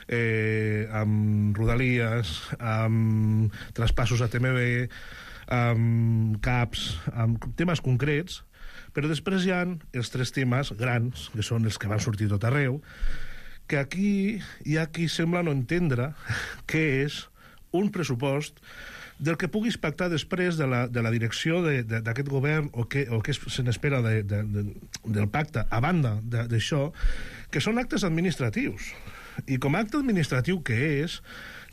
eh, amb rodalies, amb traspassos a T M B, amb CAPs, amb temes concrets, però després hi ha els tres temes grans, que són els que van sortir tot arreu, que aquí hi ha qui sembla no entendre què és un pressupost del que puguis pactar després de la, de la direcció d'aquest govern o què o que se n'espera de, de, de, del pacte, a banda d'això, que són actes administratius. I com a acte administratiu que és,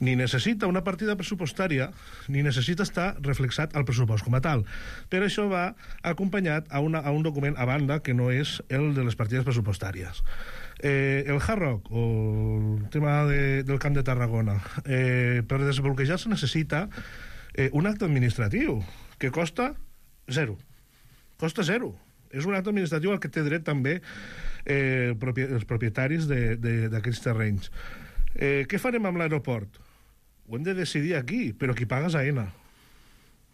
ni necessita una partida pressupostària ni necessita estar reflexat al pressupost com a tal. Per això va acompanyat a, una, a un document a banda que no és el de les partides pressupostàries. Eh, el Hard Rock o el tema de, del Camp de Tarragona, eh, per desbloquejar se necessita eh, un acte administratiu que costa zero. Costa zero. És un acte administratiu al que té dret també eh, els propietaris d'aquests terrenys. Eh, què farem amb l'aeroport? Ho hem de decidir aquí, però qui paga és AENA.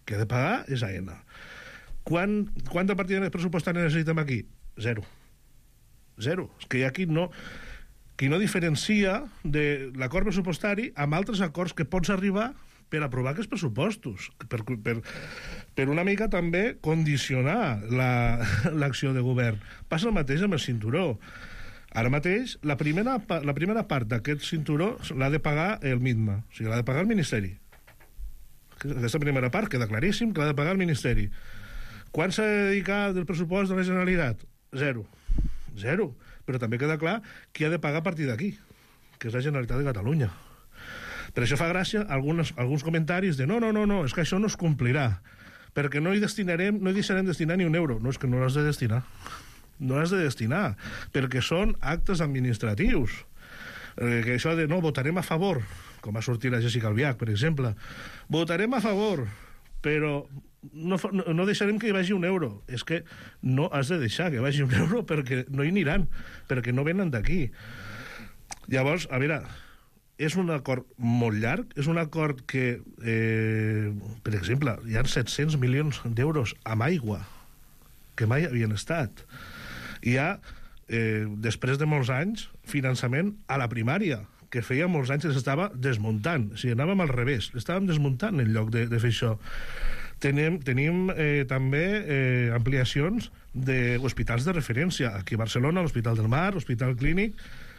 Qui ha de pagar és AENA. Quan, quanta partida pressupostària necessitem aquí? Zero. Zero. És que hi ha qui no, qui no diferencia de l'acord pressupostari amb altres acords que pots arribar per aprovar aquests pressupostos, per, per, per una mica també condicionar l'acció la, de govern. Passa el mateix amb el cinturó. Ara mateix, la primera, la primera part d'aquest cinturó l'ha de pagar el MITMA, o sigui, l'ha de pagar el Ministeri. Aquesta primera part queda claríssim que l'ha de pagar el Ministeri. Quan s'ha de dedicar del pressupost de la Generalitat? Zero. Zero. Però també queda clar qui ha de pagar a partir d'aquí, que és la Generalitat de Catalunya. Per això fa gràcia alguns, alguns comentaris de no, no, no, no, és que això no es complirà, perquè no hi destinarem, no hi deixarem destinar ni un euro. No, és que no l'has de destinar. No l'has de destinar, perquè són actes administratius. Eh, que això de no, votarem a favor, com va sortir la Jessica Albiach, per exemple, votarem a favor, però no, no deixarem que hi vagi un euro. És que no has de deixar que hi vagi un euro perquè no hi aniran, perquè no venen d'aquí. Llavors, a veure, és un acord molt llarg, és un acord que, eh, per exemple, hi ha set-cents milions d'euros amb aigua, que mai havien estat. Hi ha, eh, després de molts anys, finançament a la primària, que feia molts anys que s'estava desmuntant. O sigui, anàvem al revés, l'estàvem desmuntant en lloc de, de fer això. Tenim, tenim eh, també eh, ampliacions d'hospitals de referència. Aquí a Barcelona, l'Hospital del Mar, l'Hospital Clínic,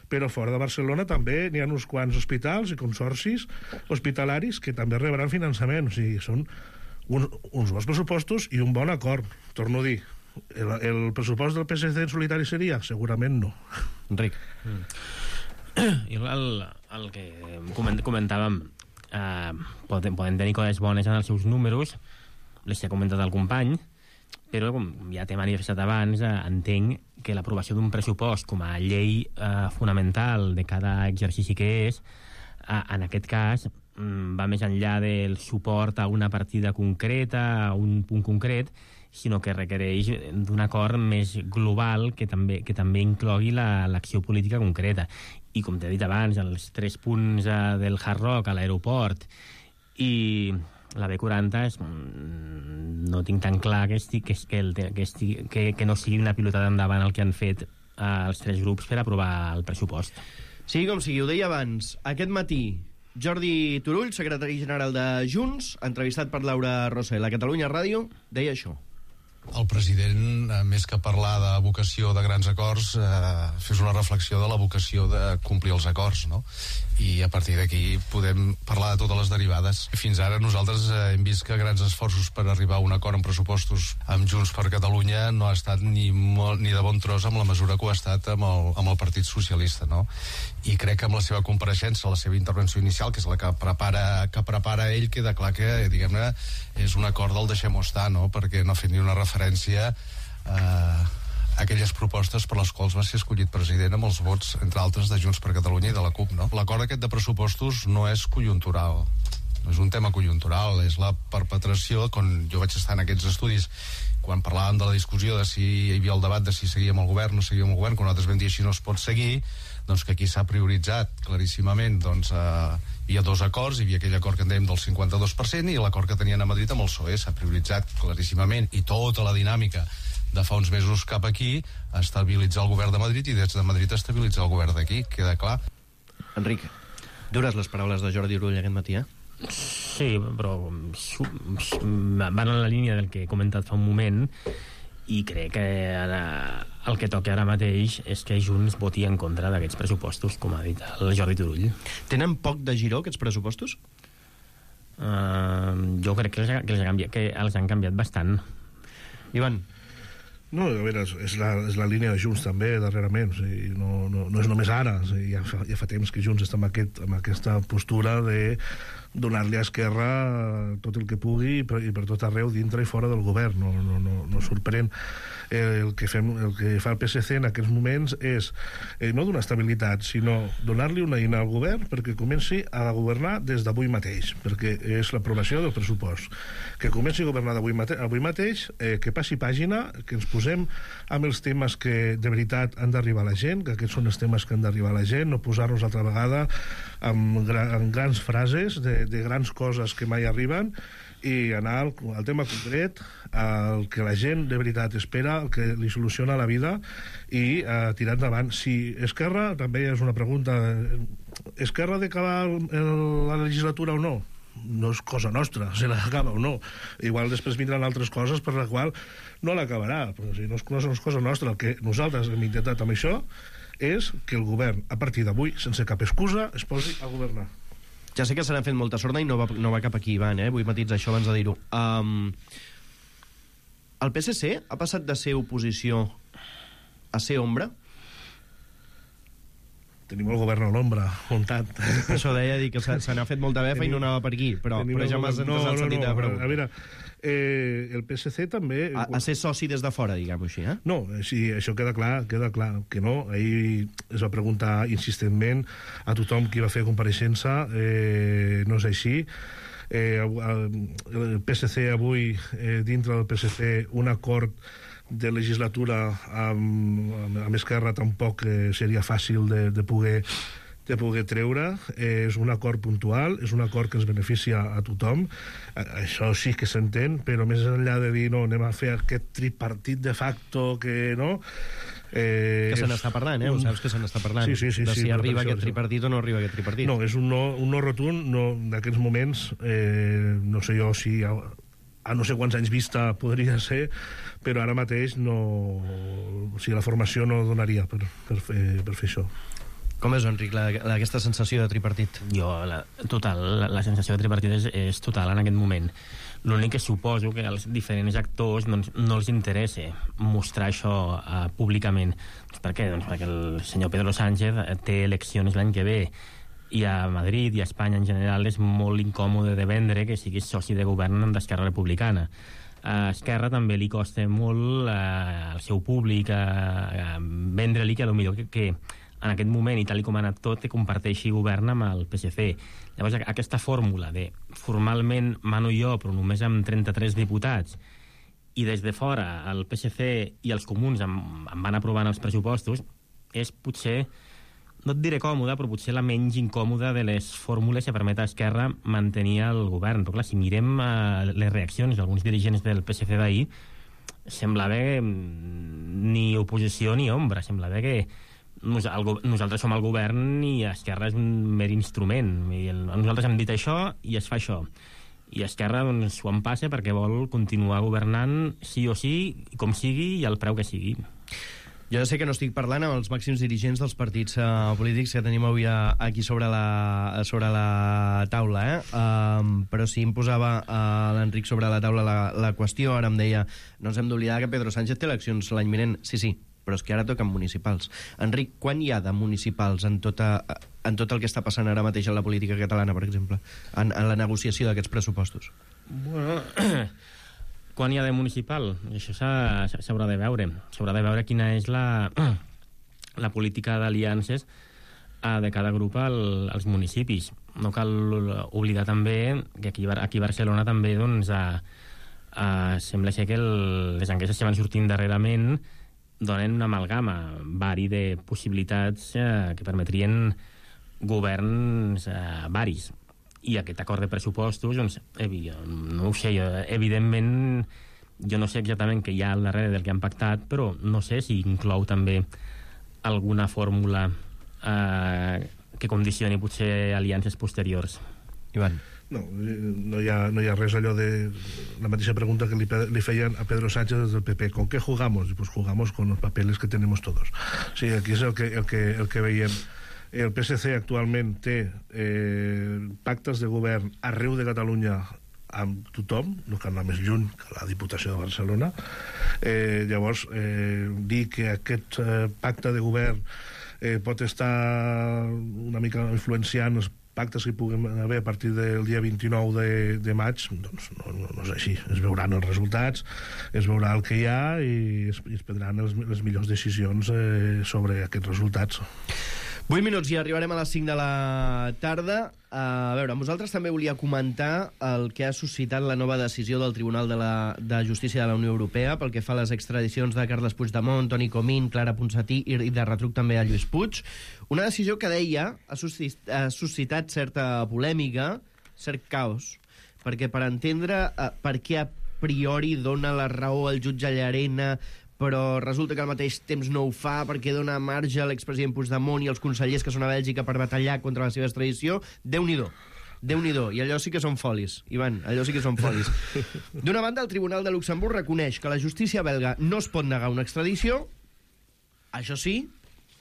però fora de Barcelona també n'hi ha uns quants hospitals i consorcis hospitalaris que també rebran finançament. O sigui, són un, uns bons pressupostos i un bon acord, torno a dir. El, el pressupost del P S C en solitari seria? Segurament no. Enric. Mm. I el, el que comentàvem, eh, poden, poden tenir coses bones en els seus números, les que ha comentat el company, però com ja t'he manifestat abans, eh, entenc que l'aprovació d'un pressupost com a llei eh, fonamental de cada exercici que és, eh, en aquest cas, va més enllà del suport a una partida concreta, a un punt concret, sinó que requereix d'un acord més global que també, que també inclogui l'acció la, política concreta. I, com t'he dit abans, els tres punts eh, del Hard Rock a l'aeroport i la B quaranta és, no tinc tan clar que, estic, que, que, el, que, estic, que, que no sigui una pilotada endavant el que han fet eh, els tres grups per aprovar el pressupost. Sigui com sigui, ho deia abans, aquest matí Jordi Turull, secretari general de Junts, entrevistat per Laura Rosell a Catalunya Ràdio, deia això. El president, més que parlar de vocació de grans acords, eh, fes una reflexió de la vocació de complir els acords, no? I a partir d'aquí podem parlar de totes les derivades. Fins ara nosaltres eh, hem vist que grans esforços per arribar a un acord en pressupostos amb Junts per Catalunya no ha estat ni, molt, ni de bon tros amb la mesura que ho ha estat amb el, amb el Partit Socialista, no? I crec que amb la seva compareixença, la seva intervenció inicial, que és la que prepara, que prepara ell, queda clar que, diguem-ne, és un acord del deixem-ho estar, no? Perquè no ha fet ni una referència a eh, aquelles propostes per les quals va ser escollit president amb els vots, entre altres, de Junts per Catalunya i de la CUP, no? L'acord aquest de pressupostos no és conjuntural, no és un tema conjuntural, és la perpetració, quan jo vaig estar en aquests estudis, quan parlàvem de la discussió de si hi havia el debat de si seguíem el govern o no seguíem el govern, quan nosaltres vam dir així no es pot seguir, doncs que aquí s'ha prioritzat claríssimament, doncs eh, hi ha dos acords, hi havia aquell acord que en dèiem del cinquanta-dos per cent i l'acord que tenien a Madrid amb el P S O E, s'ha prioritzat claríssimament, i tota la dinàmica de fa uns mesos cap aquí a estabilitzar el govern de Madrid i des de Madrid a estabilitzar el govern d'aquí, queda clar. Enric, dures les paraules de Jordi Turull aquest matí, eh? Sí, però van en la línia del que he comentat fa un moment i crec que ara, el que toca ara mateix és que Junts voti en contra d'aquests pressupostos, com ha dit el Jordi Turull. Tenen poc de giró, aquests pressupostos? Uh, jo crec que els, que, els canviat, que els han canviat bastant. Ivan? No, a veure, és la, és la línia de Junts també, darrerament. O sigui, no, no, no és només ara. O sigui, ja, fa, ja fa temps que Junts està amb, aquest, amb aquesta postura de donar-li a Esquerra tot el que pugui i per, i per tot arreu, dintre i fora del govern. No, no, no, no sorprèn. El que, fem, el que fa el P S C en aquests moments és eh, no donar estabilitat, sinó donar-li una eina al govern perquè comenci a governar des d'avui mateix, perquè és l'aprovació del pressupost. Que comenci a governar d'avui mate avui mateix, eh, que passi pàgina, que ens posem amb els temes que de veritat han d'arribar a la gent, que aquests són els temes que han d'arribar a la gent, no posar-nos altra vegada amb, gra amb grans frases de, de grans coses que mai arriben, i anar al, al tema concret, al que la gent de veritat espera, el que li soluciona la vida, i uh, tirar endavant. Si Esquerra, també és una pregunta, Esquerra ha d'acabar la legislatura o no? No és cosa nostra, si l'acaba o no. Igual després vindran altres coses per la qual no l'acabarà, però si no és, no és cosa nostra. El que nosaltres hem intentat amb això és que el govern, a partir d'avui, sense cap excusa, es posi a governar. Ja sé que se n'ha fet molta sorda i no va, no va cap aquí, Ivan, eh? Vull matitzar això abans de dir-ho. Um, el P S C ha passat de ser oposició a ser ombra? Tenim el govern a l'ombra, muntat. Això deia, dir que se, se n'ha fet molta befa Tenim... i no anava per aquí, però, però ja m'has entès el sentit de la pregunta. A veure, eh, el P S C també... A, a ser soci des de fora, diguem-ho així, eh? No, sí, això queda clar, queda clar que no. Ahir es va preguntar insistentment a tothom qui va fer compareixença, eh, no és així. Eh, el P S C avui, eh, dintre del P S C, un acord de legislatura amb, amb Esquerra tampoc eh, seria fàcil de, de poder de poder treure. Eh, és un acord puntual, és un acord que ens beneficia a tothom, eh, això sí que s'entén, però més enllà de dir no, anem a fer aquest tripartit de facto que no... Eh, que se n'està parlant, eh? Un... Ho saps que se n'està parlant. Sí, sí, sí, de si sí, arriba aquest tripartit o no arriba aquest tripartit. No, és un no, un no rotund, no, d'aquests moments, eh, no sé jo si... A, a no sé quants anys vista podria ser, però ara mateix no... O sigui, la formació no donaria per, per, fer, per fer això. Com és, Enric, la, la, aquesta sensació de tripartit? Jo, la, total, la, la sensació de tripartit és, és total en aquest moment. L'únic que suposo que als diferents actors doncs, no els interessa mostrar això uh, públicament. Doncs per què? Doncs perquè el senyor Pedro Sánchez té eleccions l'any que ve i a Madrid i a Espanya en general és molt incòmode de vendre que siguis soci de govern d'Esquerra Republicana. A Esquerra també li costa molt uh, al seu públic uh, vendre-li que potser que, que en aquest moment, i tal com ha anat tot, que comparteixi govern amb el P S C. Llavors, aquesta fórmula de formalment mano jo, però només amb trenta-tres diputats, i des de fora el P S C i els comuns em, em van aprovant els pressupostos, és potser, no et diré còmoda, però potser la menys incòmoda de les fórmules que permet a Esquerra mantenir el govern. Però clar, si mirem uh, les reaccions d'alguns dirigents del P S C d'ahir, sembla bé ni oposició ni ombra, sembla bé que nosaltres som el govern i Esquerra és un mer instrument. I el, nosaltres hem dit això i es fa això. I Esquerra doncs, s'ho en passa perquè vol continuar governant sí o sí, com sigui i al preu que sigui. Jo sé que no estic parlant amb els màxims dirigents dels partits uh, polítics que tenim avui uh, aquí sobre la, sobre la taula, eh? Uh, però sí em posava uh, l'Enric sobre la taula la, la qüestió. Ara em deia, no ens hem d'oblidar que Pedro Sánchez té eleccions l'any vinent. Sí, sí, però és que ara toquen municipals. Enric, quan hi ha de municipals en, tota, en tot el que està passant ara mateix en la política catalana, per exemple, en, en la negociació d'aquests pressupostos? Bueno, quan hi ha de municipal? Això s'haurà de veure. S'haurà de veure quina és la, la política d'aliances de cada grup al, als municipis. No cal oblidar també que aquí, aquí a Barcelona també doncs, a, a, sembla ser que el, les enquestes que van sortint darrerament donen una amalgama vari de possibilitats eh, que permetrien governs eh, varis. I aquest acord de pressupostos, doncs, no ho sé, jo, evidentment, jo no sé exactament què hi ha al darrere del que han pactat, però no sé si inclou també alguna fórmula eh, que condicioni potser aliances posteriors. Ivan. No, no hi ha, no hi ha res allò de la mateixa pregunta que li, li feien a Pedro Sánchez des del P P. ¿Con qué jugamos? Pues jugamos con los papeles que tenemos todos. Sí, aquí és el que, el que, el que veiem. El P S C actualment té eh, pactes de govern arreu de Catalunya amb tothom, no cal anar més lluny que la Diputació de Barcelona. Eh, llavors, eh, dir que aquest eh, pacte de govern eh, pot estar una mica influenciant els pactes que puguem haver a partir del dia vint-i-nou de, de maig, doncs no, no, no és així. Es veuran els resultats, es veurà el que hi ha i es, i es prendran els, les millors decisions eh, sobre aquests resultats. vuit minuts i arribarem a les cinc de la tarda. A veure, amb vosaltres també volia comentar el que ha suscitat la nova decisió del Tribunal de, la, de Justícia de la Unió Europea pel que fa a les extradicions de Carles Puigdemont, Toni Comín, Clara Ponsatí i de retruc també a Lluís Puig. Una decisió que, deia, ha suscitat, ha suscitat certa polèmica, cert caos, perquè per entendre eh, per què a priori dona la raó al jutge Llarena, però resulta que al mateix temps no ho fa perquè dona marge a l'expresident Puigdemont i als consellers que són a Bèlgica per batallar contra la seva extradició. Déu-n'hi-do. Déu-n'hi-do. I allò sí que són folis, Ivan, allò sí que són folis. D'una banda, el Tribunal de Luxemburg reconeix que la justícia belga no es pot negar una extradició. Això sí,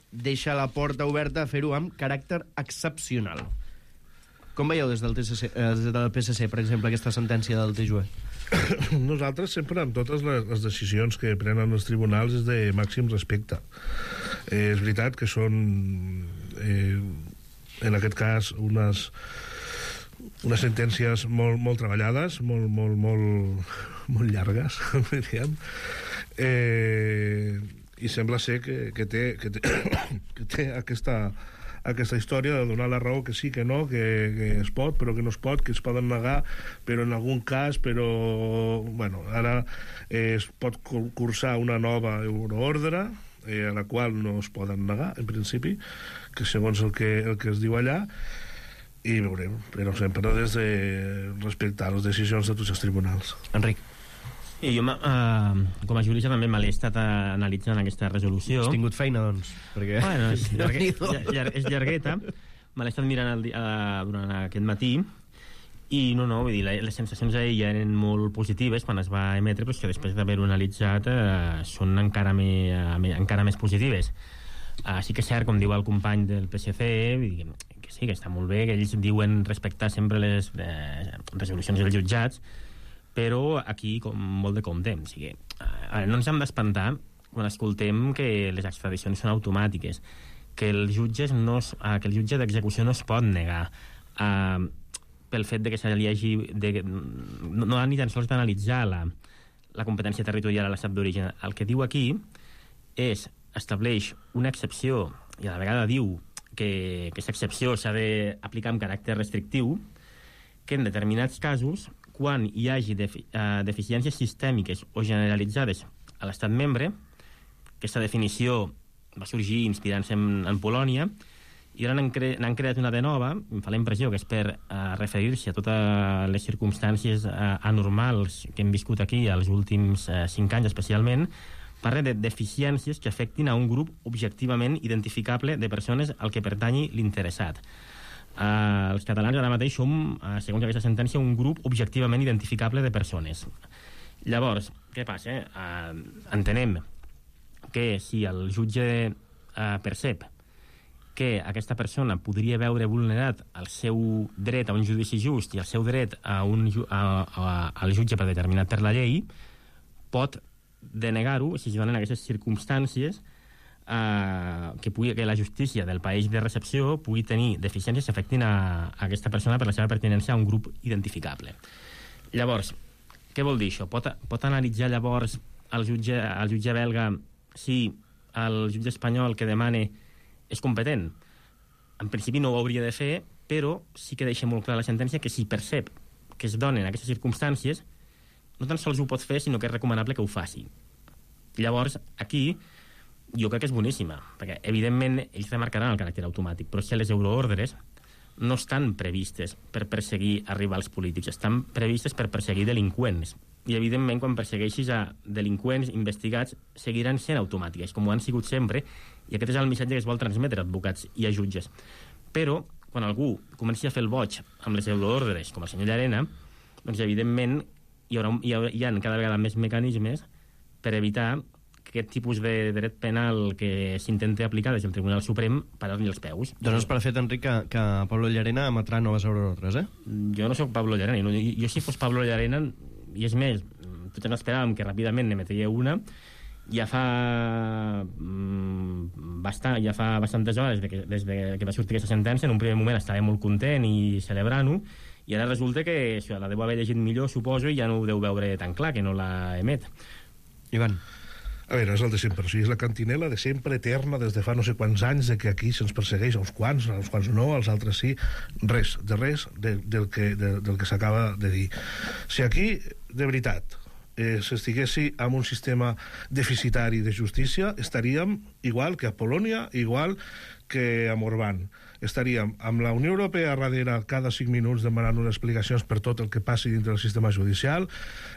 deixa la porta oberta a fer-ho amb caràcter excepcional. Com veieu des del, T C C, eh, des del P S C, per exemple, aquesta sentència del T J U E? Nosaltres sempre en totes les, les decisions que prenen els tribunals és de màxim respecte. Eh, és veritat que són eh, en aquest cas unes unes sentències molt, molt treballades, molt, molt, molt, molt llargues, diríem. Eh, i sembla ser que, que, té, que, té, que té aquesta aquesta història de donar la raó que sí, que no, que, que es pot, però que no es pot, que es poden negar, però en algun cas, però... Bueno, ara eh, es pot cursar una nova euroordre, eh, a la qual no es poden negar, en principi, que segons el que, el que es diu allà, i veurem, però sempre des de respectar les decisions de tots els tribunals. Enric. I jo, uh, com a jurista, també me l'he estat analitzant aquesta resolució. Has tingut feina, doncs? Perquè... Bueno, és, llargue, llar, és llargueta. Me l'he estat mirant el, uh, durant aquest matí i no, no, vull dir, les sensacions ahir ja eren molt positives quan es va emetre, però és que després d'haver-ho analitzat uh, són encara, me, uh, encara més positives. Uh, sí que és cert, com diu el company del P S C, vull dir, que sí, que està molt bé, que ells diuen respectar sempre les eh, resolucions dels jutjats, però aquí com molt de compte. O sigui, eh, no ens hem d'espantar quan escoltem que les extradicions són automàtiques, que el jutge, no es, eh, que el jutge d'execució no es pot negar eh, pel fet de que se li hagi de, no, no ha ni tan sols d'analitzar la, la competència territorial a l'estat d'origen. El que diu aquí és, estableix una excepció i a la vegada diu que aquesta excepció s'ha d'aplicar amb caràcter restrictiu, que en determinats casos, quan hi hagi defi uh, deficiències sistèmiques o generalitzades a l'estat membre, aquesta definició va sorgir inspirant-se en, en Polònia, i ara n'han cre creat una de nova, em fa la impressió que és per uh, referir-se a totes les circumstàncies uh, anormals que hem viscut aquí els últims uh, cinc anys especialment, parla de deficiències que afectin a un grup objectivament identificable de persones al que pertanyi l'interessat. Uh, els catalans ara mateix som, uh, segons aquesta sentència, un grup objectivament identificable de persones. Llavors, què passa? Uh, entenem que si el jutge uh, percep que aquesta persona podria veure vulnerat el seu dret a un judici just i el seu dret a un, a, a, al jutge predeterminat per la llei, pot denegar-ho si es donen aquestes circumstàncies Uh, que, pugui, que la justícia del país de recepció pugui tenir deficiències que afectin a, a aquesta persona per la seva pertinença a un grup identificable. Llavors, què vol dir això? Pot, pot analitzar llavors el jutge, el jutge belga si el jutge espanyol que demane és competent? En principi no ho hauria de fer, però sí que deixa molt clar la sentència que si percep que es donen aquestes circumstàncies, no tan sols ho pot fer, sinó que és recomanable que ho faci. Llavors, aquí jo crec que és boníssima, perquè evidentment ells remarcaran el caràcter automàtic, però si les euroordres no estan previstes per perseguir a rivals polítics, estan previstes per perseguir delinqüents, i evidentment quan persegueixis a delinqüents investigats seguiran sent automàtiques, com ho han sigut sempre, i aquest és el missatge que es vol transmetre a advocats i a jutges. Però quan algú comenci a fer el boig amb les euroordres, com el senyor Llarena, doncs evidentment hi haurà, hi haurà, hi ha cada vegada més mecanismes per evitar aquest tipus de dret penal que s'intenta aplicar des del Tribunal Suprem parar-li els peus. Dones per fet, Enric, que, que Pablo Llarena emetrà noves ordres, eh? Jo no sóc Pablo Llarena. No, jo, jo si fos Pablo Llarena, i és més, tots ens esperàvem que ràpidament n'emetria una, ja fa mm, bastant, ja fa bastantes hores des de que, des de que va sortir aquesta sentència. En un primer moment estava molt content i celebrant-ho, i ara resulta que això, la deu haver llegit millor, suposo, i ja no ho deu veure tan clar, que no la emet. Ivan. A veure, és el de sempre. O sigui, és la cantinela de sempre, eterna, des de fa no sé quants anys, de que aquí se'ns persegueix a uns quants, a uns quants no, als altres sí. Res, de res de, del que, de, del que s'acaba de dir. Si aquí, de veritat, eh, s'estiguessi amb un sistema deficitari de justícia, estaríem igual que a Polònia, igual que a Orbán. Estaríem amb la Unió Europea darrere cada cinc minuts demanant unes explicacions per tot el que passi dintre del sistema judicial.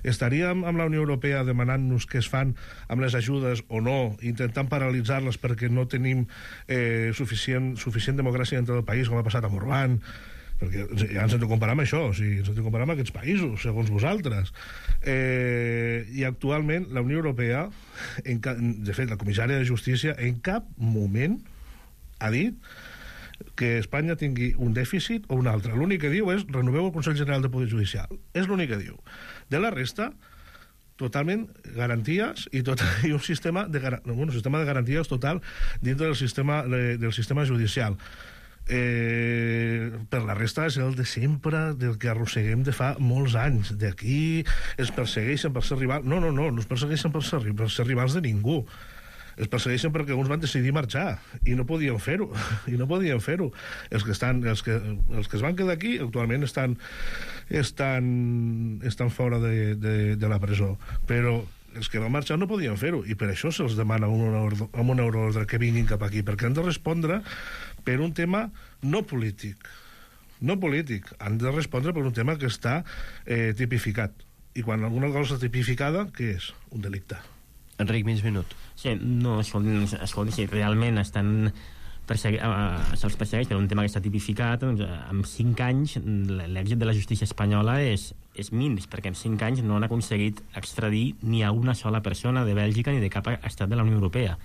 Estaríem amb la Unió Europea demanant-nos què es fan amb les ajudes o no, intentant paralitzar-les perquè no tenim eh, suficient, suficient democràcia dintre del país, com ha passat amb Orbán, perquè ja ens hem de comparar amb això, o sigui, ens hem de comparar amb aquests països, segons vosaltres. Eh, I actualment la Unió Europea, en ca... de fet, la comissària de Justícia, en cap moment ha dit que Espanya tingui un dèficit o un altre. L'únic que diu és renoveu el Consell General de Poder Judicial. És l'únic que diu. De la resta, totalment garanties i, tot, i un sistema de, bueno, un sistema de garanties total dintre del sistema, de, del sistema judicial. Eh, per la resta és el de sempre, del que arrosseguem de fa molts anys. D'aquí es persegueixen per ser rivals. No, no, no, no es persegueixen per ser, per ser rivals de ningú. Es persegueixen perquè uns van decidir marxar i no podien fer-ho, i no podien fer-ho. Els que estan, els que, els que es van quedar aquí actualment estan estan, estan fora de, de, de la presó, però els que van marxar no podien fer-ho, i per això se'ls demana amb una, ordre, amb una ordre que vinguin cap aquí, perquè han de respondre per un tema no polític, no polític, han de respondre per un tema que està eh, tipificat, i quan alguna cosa està tipificada, què és? Un delicte. Enric, mig minut. Sí, no, escolti, escolti si realment estan persegui... uh, se'ls persegueix per un tema que està tipificat, doncs, en cinc anys l'èxit de la justícia espanyola és, és minus, perquè en cinc anys no han aconseguit extradir ni a una sola persona de Bèlgica ni de cap estat de la Unió Europea.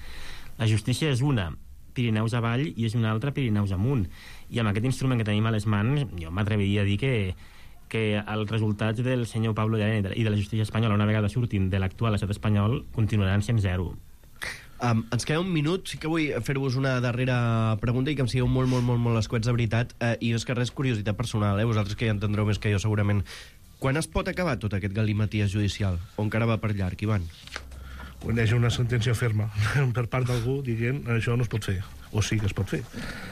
La justícia és una Pirineus avall i és una altra Pirineus amunt, i amb aquest instrument que tenim a les mans jo m'atreviria a dir que que els resultats del senyor Pablo Llarena i de la justícia espanyola, una vegada surtin de l'actual estat espanyol, continuaran sent zero. Um, ens queda un minut, sí que vull fer-vos una darrera pregunta i que em sigueu molt, molt, molt, molt escuets de veritat, uh, i és que res, curiositat personal, eh? Vosaltres que ja entendreu més que jo segurament. Quan es pot acabar tot aquest galimaties judicial? O encara va per llarg, Ivan? Quan hi hagi una sentència ferma per part d'algú dient això no es pot fer, o sí que es pot fer.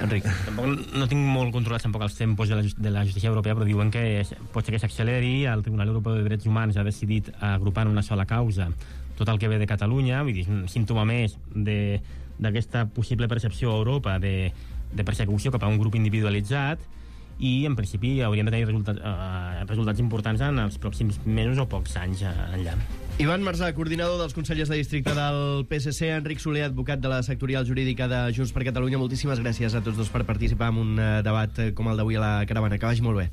Enric. Tampoc no tinc molt controlats tampoc els tempos de la, de la justícia europea, però diuen que pot ser que s'acceleri. El Tribunal Europeu de Drets Humans ha decidit agrupar en una sola causa tot el que ve de Catalunya, vull dir, un símptoma més d'aquesta possible percepció a Europa de, de persecució cap a un grup individualitzat, i en principi hauríem de tenir resultats, eh, resultats importants en els pròxims mesos o pocs anys enllà. Ivan Marzà, coordinador dels consellers de districte del P S C, Enric Soler, advocat de la sectorial jurídica de Junts per Catalunya. Moltíssimes gràcies a tots dos per participar en un debat com el d'avui a la Caravana. Que vagi molt bé.